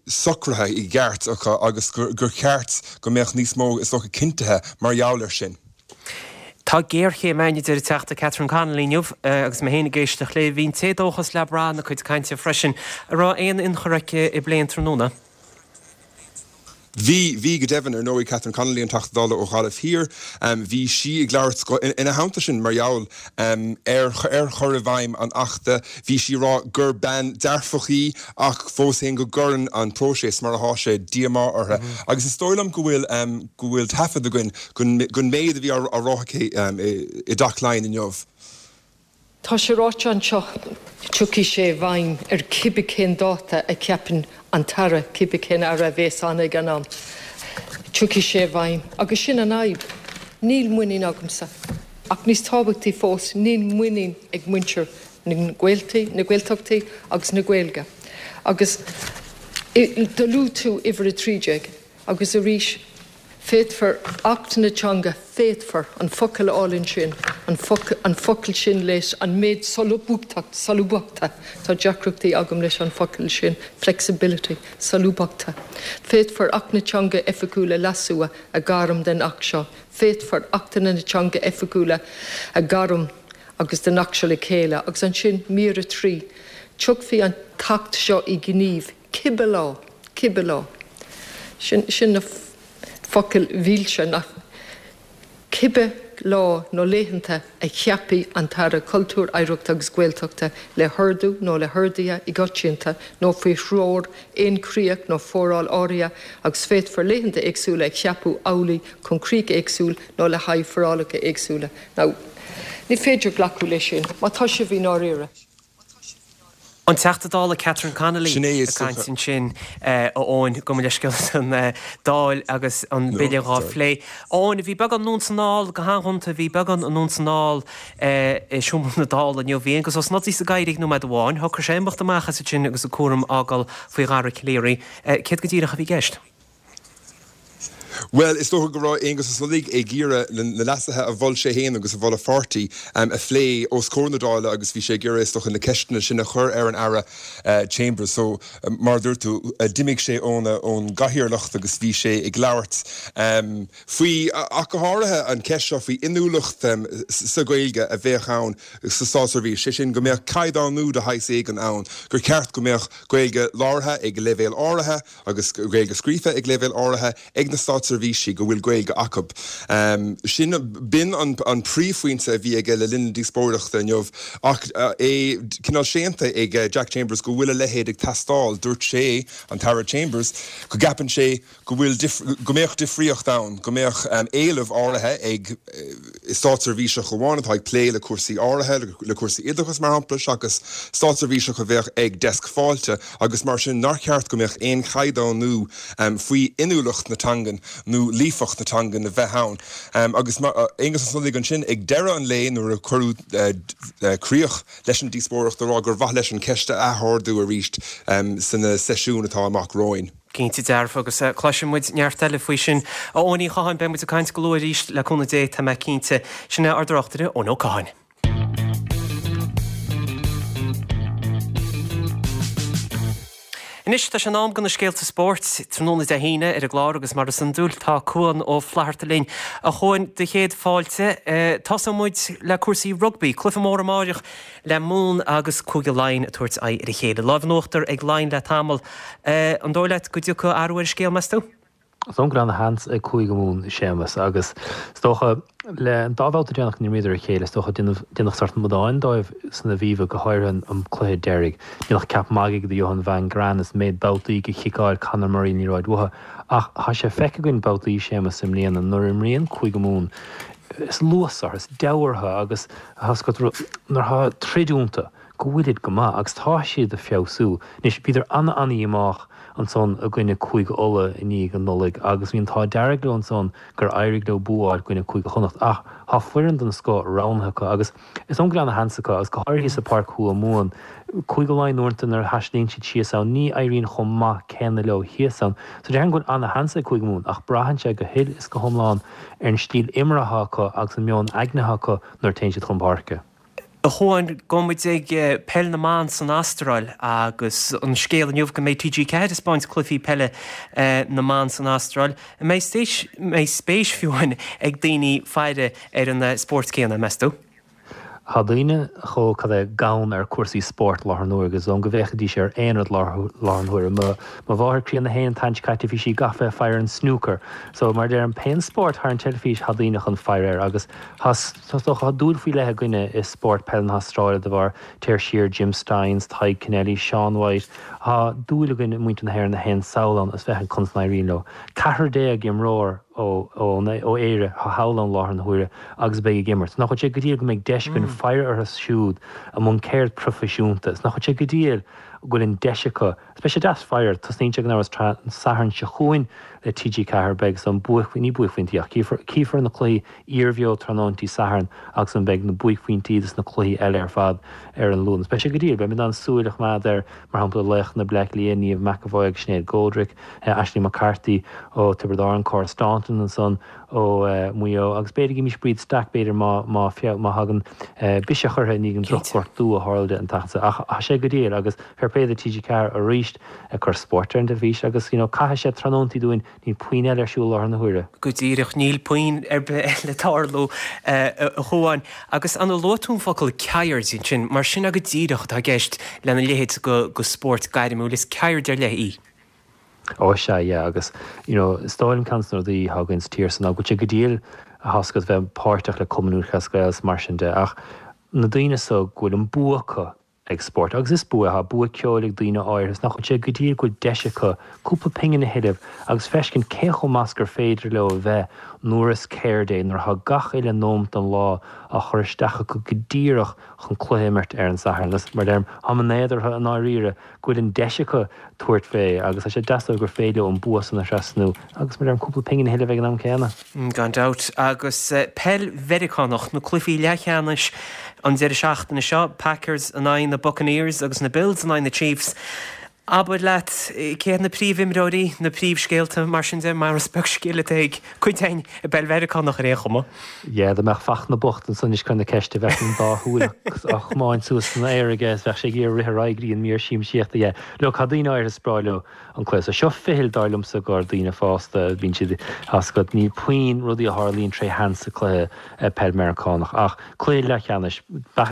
S5: socraithe i gceart acu agus gur cheart go mbeadh níos mó, is dócha, cinntithe mar gheall air sin.
S1: Tá géarchéim ann, a deir an Teachta Catherine Connolly inniu agus mé féin ag éisteacht léi. Bhí an t-éadóchas le brath ina cuid cainte freisin. An raibh aon ionchur aici i bplé an tráthnóna?
S5: Bhí, bhí go deimhin, ar ndóigh, Catherine Connolly, an Teachta Dála ó Ghaillimh Thiar, bhí sí ag labhairt ina theannta sin mar gheall ar ar chur i bhfeidhm an Achta. Bhí sí ag rá gur bean dearfach í ach fós féin go gcuireann an próiseas mar atá sé díomá uirthi. Agus is dóigh liom go bhfuil go bhfuil taifead againn den méid a bhí á rá aici i dTeach Laighean inniu.
S6: Tá sé ráite anseo, tiocfaidh sé i bhfeidhm ar cibé cén dáta a cheapann an tAire, cibé cén Aire a bhéas ann ag an am. Tiocfaidh sé i bhfeidhm. Agus sin an fhadhb. Níl muinín agamsa. Ach níos tábhachtaí fós, níl muinín ag muintir na na Gaeltachtaí agus na Gaeilge. Agus do luaigh tú uimhir a trí déag agus arís, Féadfar Acht na Teanga, féadfar, an focal álainn sin, an an focal sin leis an méid solúbthachta, solúbthachta, tá deacrachtaí agam leis an focal sin, flexibility, solúbthachta. Féadfar Acht na Teanga Oifigiúil a leasú a ghairm den Acht seo. Féadfar Achtanna na Teanga Oifigiúla a ghairm agus den Acht seo le chéile. Agus ansin, mír a trí, tiocfaidh an tAcht seo i ngníomh cibé lá, cibé lá. Sin, sin na. focail mhilse nach cibé lá nó laethanta a cheapfaidh an tAire Cultúir, Oidhreachta agus Gaeltachta le hordú nó le horduithe i gcoitianta nó faoi threoir aon chríoch nó foráil áirithe agus féadfar laethanta éagsúla a cheapadh amhlaidh chun críoch éagsúil nó le haghaidh forálacha éagsúla. Now, ní féidir glacadh leis sin má tá sibh i ndáiríre.
S1: An Teachta Dála Catherine Connolly ag caint ansin, a Eoin, gabh mo leithscéal san Dáil agus an bille dhá phlé. Eoin, bhí beagán anonn 's anall, go han-ghonta, bhí beagán anonn 's anall i seomra na Dála inniu. Bhí Aengus Ó Snodaigh sa gcathaoir nóiméad amháin, shocraigh sé imeacht amach as ansin agus a cúram á fhágáil faoi Dhara Calleary. Céard go díreach a bhí i gceist?
S5: Bhuel, is dócha go raibh Aengus Ó Snodaigh ag iarraidh na leasuithe a mhol sé féin agus a mhol a pháirtí a phlé os comhair na Dála agus bhí sé ag iarraidh, is dócha, na ceisteanna sin a chur ar an Aire Chambers. So, mar a dúirt tú, d'imigh sé ón gcathaoirleacht agus bhí sé ag labhairt faoi, ach go háirithe, an cheist seo faoi inniúlacht sa Ghaeilge a bheadh ann sa státseirbhís, sé sin go mbeadh caighdeánú de shaghas éigin ann, gur cheart go mbeadh Gaeilge labhartha ag leibhéal áirithe agus Gaeilge scríofa ag leibhéal áirithe ag na státseirbhísigh go bhfuil Gaeilge acu. Sin, b'in an príomhphointe a bhí aige le linn na díospóireachta inniu ach é cineál séanta ag Jack Chambers go bhfuil a leithéid ag teastáil. Dúirt sé, an tAire Chambers, go gceapann sé go bhfuil, go mbeadh difríocht ann, go mbeadh éileamh áirithe ag státseirbhíseach amháin atá ag plé le cúrsaí áirithe, le cúrsaí oideachais mar shampla, seachas státseirbhíseach a bheadh ag deasc fáilte agus mar sin nár cheart go mbeadh aon chaighdeánú faoi inniúlacht na teangan nó líofacht na teangan a bheith ann. Agus Aengus Ó Snodaigh ansin ag deireadh an lae nuair a cuireadh críoch leis an díospóireacht a rá gur mhaith leis an cheist a athardú arís sna seisiúin atá amach romhainn.
S1: Cinnte dearfa, agus cloisfidh muid neart eile faoi sin. A Eoin Uí Chatháin, beidh muid ag caint go luath arís, le cúnamh Dé, tá mé cinnte. Sin é ár dtráchtaire, Eoin Ó Catháin. Anois, tá sé in am do na scéalta spóirt, tráthnóna Dé hAoine ar an gclár agus mar is iondúil, tá Cuan Ó Flatharta linn. A Chuain, do chéad fáilte. Tosóidh muid le cúrsaí rugbaí, cluiche mór amáireach le Mumhan agus Cúige Laighean ag tabhairt aghaidh ar a chéile. Lámh in uachtar ag Laighin le tamall. An dóigh leat go dtiocfaidh athrú ar an scéal, meas tú?
S7: Is dóigh liom go bhfuil ana-sheans ag Cúige Mumhan, a Shéamus, agus is dócha, le an dá bhabhta deireanach a d'imríodar a chéile, is dócha, déanadh, déanadh sórt amadáin dóibh san Aviva, go háirithe an cluiche deiridh. Déanadh ceap magaidh de Johann van Graan as an méid babhtaí gur chiceáil Conor Murray an liathróid uathu. Ach tá sé feicthe againn babhtaí, Séamus, i mbliana, nuair a imríonn Cúige Mumhan, is luas orthu, is deabhadh orthu agus nuair atá troid iontu, go bhfuilid go maith agus tá siad ag feabhsú. Anois, bhíodar ana-ana-dhíomách ansan i gcoinne Cúige Uladh i ndiaidh an Nollaig agus bhí an t-ádh dearg leo ansan gur éirigh leo bua a fháil i gcoinne Cúige Chonnacht ach tá foireann den scoth roghnaithe acu agus is dóigh liom go bhfuil ana-sheans acu agus go háirithe sa Páirc Thuath Mumhan. Cúige Laighean uaireanta nuair a thaistealaíonn siad síos ann ní éiríonn chomh maith céanna leo thíos ann. So déarfainn go bhfuil ana-sheans ag Cúige Mumhan ach braitheann sé go huile is go hiomlán ar an stíl imeartha atá acu agus an meon aigne atá acu nuair a téann siad chun páirce.
S1: A Chuain, gabhfaidh muid ag Peil na mBan san Astráil agus an scéal inniu go mbeidh T G ceathair ag 'speáint cluichí peile na mban san Astráil. An mbeidh spéis fiú amháin ag daoine faire ar an spórt céanna, meas tú?
S7: Tá daoine chomh cad é gann ar cúrsaí spóirt láthair an uair agus is dóigh liom go bhféachfaidís ar aon rud láthair an huaire. Mo mo mháthair críonna fhéin an tseachtain seo caite bhí sí gafa ag faire an snooker. So mar a deirim pé spórt thar an teilifís tá daoine chun faire air agus tá is dócha tá dúil faoi leith againne i spórt peile na hAstráile de bharr téir siar Jim Stynes, Tadhg Kennelly, Sean White. Tá dúil againn i muintir na hÉireann a théann sall ann is féachaint conas a n-éiríonn leo. Ceathrar déag imreoir ó ó Éire atá thall ann láthair na huaire agus beidh ag imirt. Nach bhfuil sé go diail go mbeidh deis againn faire orthu siúd i mbun ceird proifisiúnta. Is nach bhfuil sé go diail go bhfuil an deis acu. Is beidh sé deas faire tosnaíonn sé gan amhras an Satharn seo chugainn le TG Ceathair beidh san buaic ní buaicphointí ach cífear cífear na cluichí iarbheo tráthnóintí Sathairn agus an beidh na buaicphointí dos na cluichí eile ar fad ar an Luan. Is beidh sé go diail, beidh mé in ann súil a choimeád ar mar shampla laoch na Bleá Cliath, Niamh McEvoy agus Sinéad Goldrick, Ashley McCarthy ó Tiobraid Árann, Cora Staunton ansan ó Mhaigh Eo agus b'fhéidir go gcífimis Bríd Stack b'fhéidir má má má thagann biseach uirthi i ndiaidh an drochghortú a tharla di an tseachtain seo. Ach tá sé go diail agus fair play do TG Ceathair arís ag cur spóirt ar an teilifís agus you know caithfidh sé tráthnóntaí dúinn níl puinn eile ar siúl láthair na huaire.
S1: Go díreach, níl puinn ar bith eile ag tarlú a Chuáin. Agus an luaigh tú an focal ceird ansin, mar sin go díreach atá i gceist lena leithéid de spórt gairmiúil, is ceird ar leith í.
S7: Ó sea, yeah, agus you know is dóigh liom ceann de na rudaí atá againn sa tír so ná go bhfuil sé go diail a thoscailt bheith páirteach le Cumann Lúthchleas Gael is mar sin de ach na daoine so go bhfuil an bua acu ag spórt agus is bua é, bua ceoil ag daoine áirithe is nach bhfuil sé go diail go bhfuil deis acu cúpla pingin a thuilleamh agus feiscint cé chomh maith is gur féidir leo a bheith nuair is ceird é, nuair atá gach uile nóimeat den lá á chur isteach acu go díreach chun cluiche a imirt ar an Satharn. Agus mar a deirim, táim in éad orthu i ndáiríre go bhfuil an deis acu tabhairt fé agus tá sé deas dóibh gur féidir leo an bua san a thrasnú agus mar a deirim, cúpla pingin a thuilleamh ag an am céanna.
S1: Gan dabht. Agus peil Mheiriceánach, na cluichí leathcheannais an deireadh seachtaine seo, Packers in aghaidh na Buccaneers agus na Bills in aghaidh na Chiefs. Abair leat, cé hiad na príomhimreoirí, na príomhscéalta, mar sin de, mar is beag scil atá ag cuid againn i bpeil Mheiriceánach ar aon chuma.
S7: Yeah, dá mbeadh Fachtna bocht ansan anois ag cur na ceiste, bheadh an dá shúil á chomáint suas san aer aige is bheadh sé ag iarraidh rith ar aghaidh go dtí an mír siamsaíochta. Yeah, look, tá daoine áirithe is breá leo an cluiche so. Seo ficheall, dar liomsa, do dhaoine fásta, bíonn siad as go, níl puinn rudaí a tharlaíonn tré sheans sa cluiche peil Meiriceánach ach cluiche leathcheannais,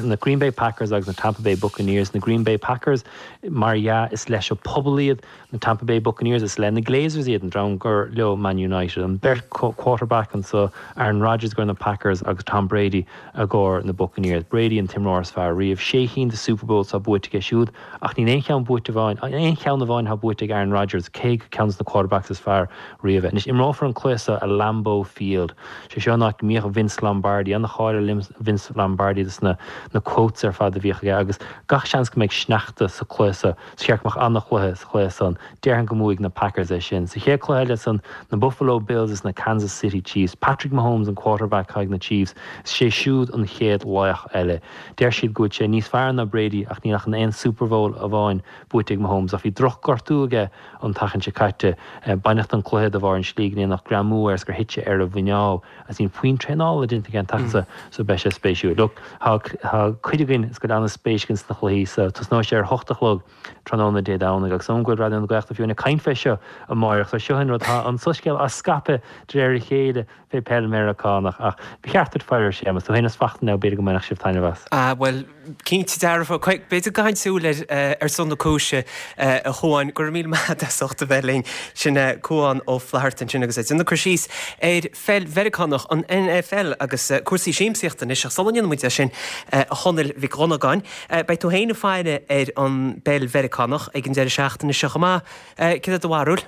S7: na Green Bay Packers agus na Tampa Bay Buccaneers, na Green Bay Packers, mar dhea, is leis an pobal iad, na Tampa Bay Buccaneers, is le na Glazers iad, an dream gur leo Man United. An beirt quarterback anso, Aaron Rodgers i gcomhair na Packers agus Tom Brady i gcomhair na Buccaneers. Brady an t-imreoir is fearr riamh. Sé chinn de Super Bowls atá buaite aige siúd ach níl aon cheann buaite amháin, aon cheann amháin atá buaite ag Aaron Rodgers, cé gur ceann de na quarterbacks is fearr riamh é. Anois, imreofar an cluiche seo i Lambeau Field. Sé seo an áit go mbíodh Vince Lombardi, an-cháil ar Vince Lombardi dos na na quotes ar fad a bhíodh aige agus gach seans go mbeidh sneachta sa chluiche seo. Sa cheart go mbeadh an-chluiche sa chluiche san. Déarfainn go mbuafaidh na Packers é sin. Sa chéad chluiche eile san, na Buffalo Bills is na Kansas City Chiefs. Patrick Mahomes an quarterback atá ag na Chiefs. Is sé siúd an chéad laoch eile. Deir siad go bhfuil sé níos fearr ná Brady ach níl ach an aon Super Bowl amháin buaite ag Mahomes ach bhí drochghortú aige an tseachtain seo caite. Baineadh den chluiche de bharr an slí go ndéanfadh greamú air is gur thit sé ar a mhuineál agus níl puinn traenála déanta aige an tseachtain seo so beidh sé spéisiúil. Look, tá cuid againn is go bhfuil an-spéis againn sna cluichí so tosnóidh sé ar a hocht a chlog tráthnóna Dé Domhnaigh agus go bhfuil Raidió na Gaeltachta fiú ag caint fé seo amáireach so seo an rud tá an soiscéal á scaipeadh de réir a chéile fé peil Meiriceánach ach ba cheart duit faire air Séamus, tú féin is Fachtna now b'fhéidir go mbainfeadh sibh taitneamh as.
S1: Ah bhuel, cinnte dearfa, b'fhéidir go gcaithfinn súil air ar son na cúise a Chuáin. Go raibh míle maith agat as ucht a bheith linn. Sin Cuán Ó Flatharta ansin agus é ag déanamh cur síos ar pheil Mheiriceánach, an NFL agus cúrsaí siamsaíochta anois ach sula ndéanann muid é sin a Chonaill Mhic Dhonnagáin, beidh tú féin ag faire ar an bpeil Mheiriceánach ag an deireadh seachtaine seo chomh maith. Céard é do bharúil?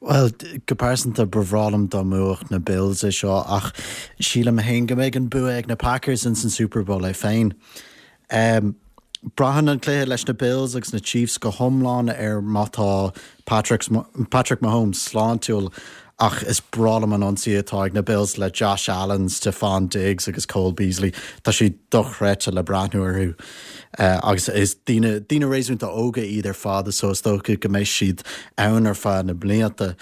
S8: Bhuel, go pearsanta ba bhreá liom dá mbuafadh na Bills é seo ach sílim féin go mbeidh an bua ag na Packers in san Super Bowl é féin. Um, Braitheann an cluiche leis na Bills agus na Chiefs go hiomlán ar má tá Patrick, Patrick Mahomes sláintiúil ach is breá liom an ionsaí atá ag na Bills le Josh Allen, Stefon Diggs agus Cole Beasley. Tá sé dochreidte le breathnú orthu. Uh, agus is daoine daoine réasúnta óga iad ar fad so is dócha go mbeidh siad ann ar feadh na blianta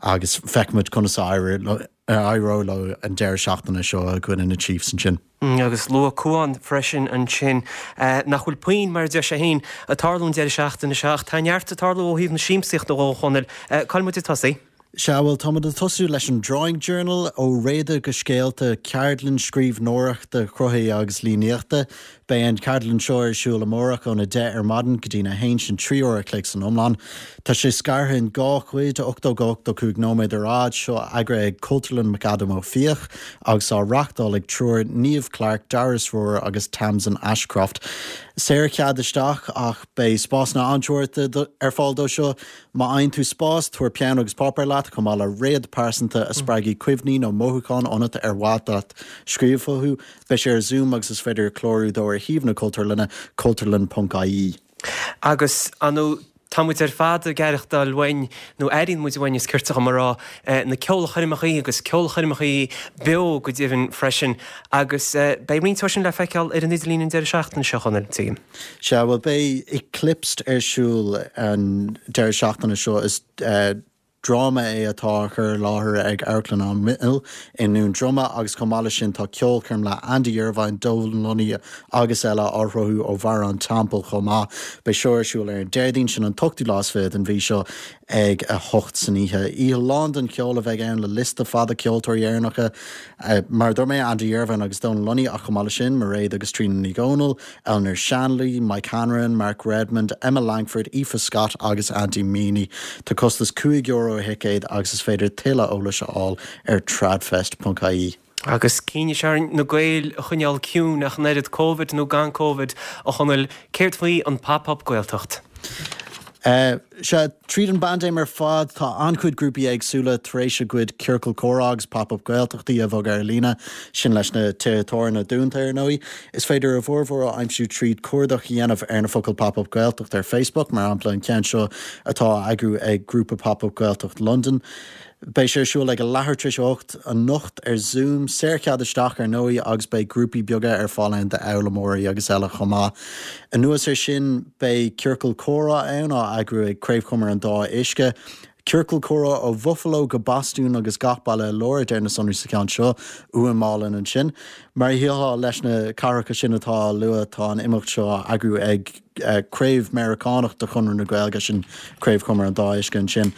S8: agus feicfimid conas a éireoidh leo an deireadh seachtaine seo i gcoinne na Chiefs ansin.
S1: Mm, agus luaigh Cuán freisin ansin eh, nach bhfuil puinn mar a deir sé féin ag tarlú an deireadh seachtaine seo ach tá neart ag tarlú ó thaobh na siamsaíochta a Chonaill. Eh, Cá bhfuil muid ag tosaí?
S8: Sea, bhuel, táimid ag tosú leis an Drawing Journal, ó réada go scéalta, ceardlann scríbhneoireachta cruthaithí agus líníochta. Beidh an cheardlann seo ar siúl amárach óna deich ar maidin go dtí'n a haon, sin trí uair a chloig san iomlán. Tá sé scartha in dhá chuid, ochtó go ochtó cúig nóiméad ar fhad, seo eagraithe ag Cultúrlann McAdam Ó Fiaich agus á reachtáil ag triúr, Niamh Clarke, Darius Rohrer agus Tamsin Ashcroft. Saorchead isteach ach beidh spásanna an-teoranta ar fáil dó seo. Má fhaigheann tú spás, tabhair peann agus páipéar leat, chomh maith le réad pearsanta a spreagfaidh cuimhní nó mothúcháin ionat ar mhaith leat scríobh fúthu. Beidh sé ar Zoom agus is féidir clárú dó ar shuíomh na Cultúrlainne, cultúrlann ponc ie.
S1: Agus, ar ndóigh, tá muid ar fad ag aireachtáil uainn, nó airíonn muid uainn, is cirte dhom a rá, na ceolchoirmeachaí agus ceolchoirmeachaí beo go deimhin freisin. Agus beidh roinnt acu sin le feiceáil ar an idirlíon an deireadh seachtaine seo, a Chonaill, tuigim.
S8: Sea, bhuel, beidh Eclipsed ar siúl an deireadh seachtaine seo. Is dráma é atá á chur i láthair ag Amharclann an Mill i nDún Droma agus chomh maith leis sin tá ceolchoirm le Andy Irvine, Donal Lunny agus eile á shruthú ó Bharra an Teampaill chomh maith. Beidh seo ar siúl ar an Déardaoin, sin an t-ochtú lá is fiche den mhí seo ag a hocht san oíche. Oíche lán den cheol a bheidh ann le liosta fada ceoltóirí Éireannacha mar a dúirt mé, Andy Irvine agus Donal Lunny ach chomh maith leis sin, Mairéad agus Tríona Ní Dhomhnaill, Eleanor Shanley, Mike Hanrahan, Mark Redmond, Emma Langford, Aoife Scott agus Andy Meany. Tá costas cúig euro ar thicéad agus is féidir tuilleadh eolais a fháil ar tradfest ponc ie.
S1: Agus coinníonn sé orainn na Gaeil a choinneáil ciúin ach an oiread, Covid nó gan Covid, a Chonaill, céard faoi an Pop Up Gaeltacht?
S8: Sea, tríd an bpaindéim ar fad, tá an-chuid grúpaí éagsúla tar éis a gcuid ciorcal comhrá agus Pop Up Gaeltachtaí a bhogadh ar líne, sin leis na tithe tábhairne dúnta, ar ndóigh. Is féidir a bhformhór a aimsiú tríd cuardach a dhéanamh ar na focail Pop Up Gaeltacht ar Facebook, mar shampla an ceann seo atá á eagrú ag grúpa Pop Up Gaeltacht Londain. Beidh sé ar siúl ag a leathuair tar éis a hocht anocht ar Zoom, saorchead isteach ar ndóigh agus beidh grúpaí beaga ar fáil ann d'fhoghlaimeoirí agus eile chomh maith. Anuas air sin beidh ciorcal comhrá ann á eagrú ag Craobh Chumar an Dá Uisce. Ciorcal comhrá ó Bhuffalo go Bostún agus gach baile i lár, a deir na sonraí sa cheann seo, uaim álainn ansin. Mar a shílfeá leis na cathracha sin atá á lua, tá an imeacht seo á eagrú ag craobh Meiriceánach de Chonradh na Gaeilge, sin Craobh Chumar an Dá Uisce ansin.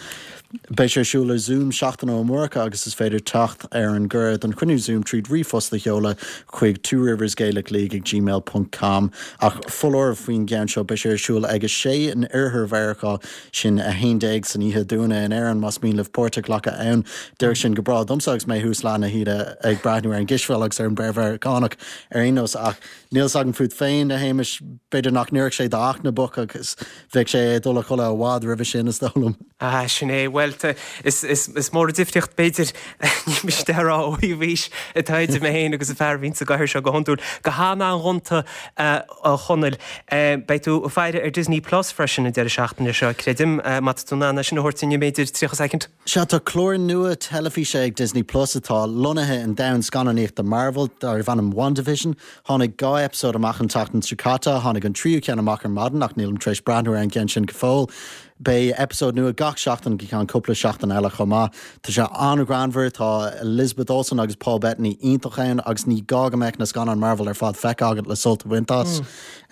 S8: Beidh sé ar siúl ar Zoom seachtain ó amárach agus is féidir teacht ar an gcuireadh don chruinniú Zoom tríd ríomhphost a sheoladh chuig Two Rivers Gaelic League ag gmail ponc com. Ach foláireamh faoin gceann seo, beidh sé ar siúl ag a sé in oirthear Mheiriceá, sin a haon déag san oíche dúinne in Éirinn, más mian libh páirt a ghlacadh ann. D'oirfeadh sin go breá domsa agus mé thuas leath na hoíche ag breathnú ar an gcispheil agus ar an bpeil Mheiriceánach ar aon nós ach níl fhios agam fút féin, a Shéamais, b'fhéidir nach n-oirfeadh sé d'fhachtna bocht agus bheadh sé ag dul a chodladh i bhfad roimhe sin, is dóigh liom.
S1: Ah, sin é. Bhuel, is, is, is mór an difríocht, b'fhéidir, ní miste a rá ó thaobh aois atá idir mé féin agus an fear a bhíonn sa gcathaoir seo go hiondúil. Go han-an-ghonta, a Chonaill. Beidh tú ag faire ar Disney Plus freisin an deireadh seachtaine seo, creidim. Má tá tú in ann é sin a thabhairt dúinn i mb'fhéidir tríocha soicind.
S8: Sea, tá clár nua teilifíse ag Disney Plus atá lonnaithe i ndomhan scannánaíochta Marvel, darb ainm WandaVision. Tháinig dhá eipeasóid amach an tseachtain seo caite, tháinig an tríú ceann amach ar maidin ach nílim tar éis breathnú ar an gceann sin go fóill. Beidh eipeasóid nua gach seachtain go ceann cúpla seachtain eile chomh maith. Tá sé an-ghreannmhar, tá Elizabeth Olsen agus Paul Bettany iontach ann agus ní gá go mbeadh na scannáin Marvel ar fad feicthe agat le sult a bhaint as.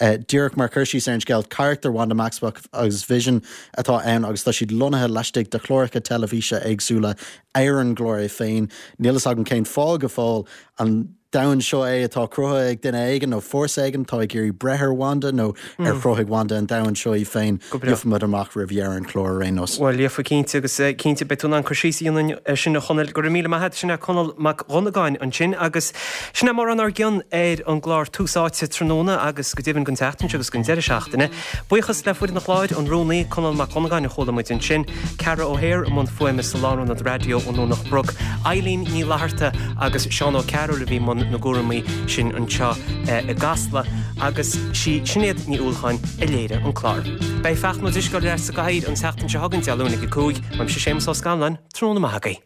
S8: Díreach mar chur síos ar an scéal, carachtair Wanda Maximoff agus Vision atá ann agus tá siad lonnaithe laistigh de chláracha teilifíse éagsúla ar an gclár é féin. Níl fhios agam cén fáth go fóill. An domhan seo é atá cruthaithe ag duine éigin nó fórsa éigin atá ag iarraidh breith ar Wanda nó ar chruthaigh Wanda an domhan seo í féin? Gheobhaimid amach roimh dheireadh an chláir ar aon nós.
S1: Bhuel, gheofaidh cinnte agus cinnte beidh tú in ann cur síos a dhéanamh air sin a Chonaill. Go raibh míle maith agat. Sin é Conall Mac Dhonnagáin ansin agus sin é mórán ár gcion ar an gclár Tús Áite tráthnóna agus go deimhin don tseachtain seo agus don deireadh seachtaine. Buíochas le foireann an chláir, an rúnaí, Conall Mac Dhonnagáin a chuala muid ansin, Ceara O'Hare i mbun fuaime sa Lárionad Raidió i nDomhnach Broc, Eileen Ní Fhlatharta agus Seán Ó Cearúil a bhí i mbun na gcúramaí sin anseo i gCasla agus sí Sinéad Ní Uallacháin a léirigh an clár. Beidh Fachtna Ó Drisceoil ar ais sa gcathaoir an tseachtain seo chugainn, Dé Luain ag a cúig. Uaimse Séamus Ó Scanláin, tráthnóna maith agaibh.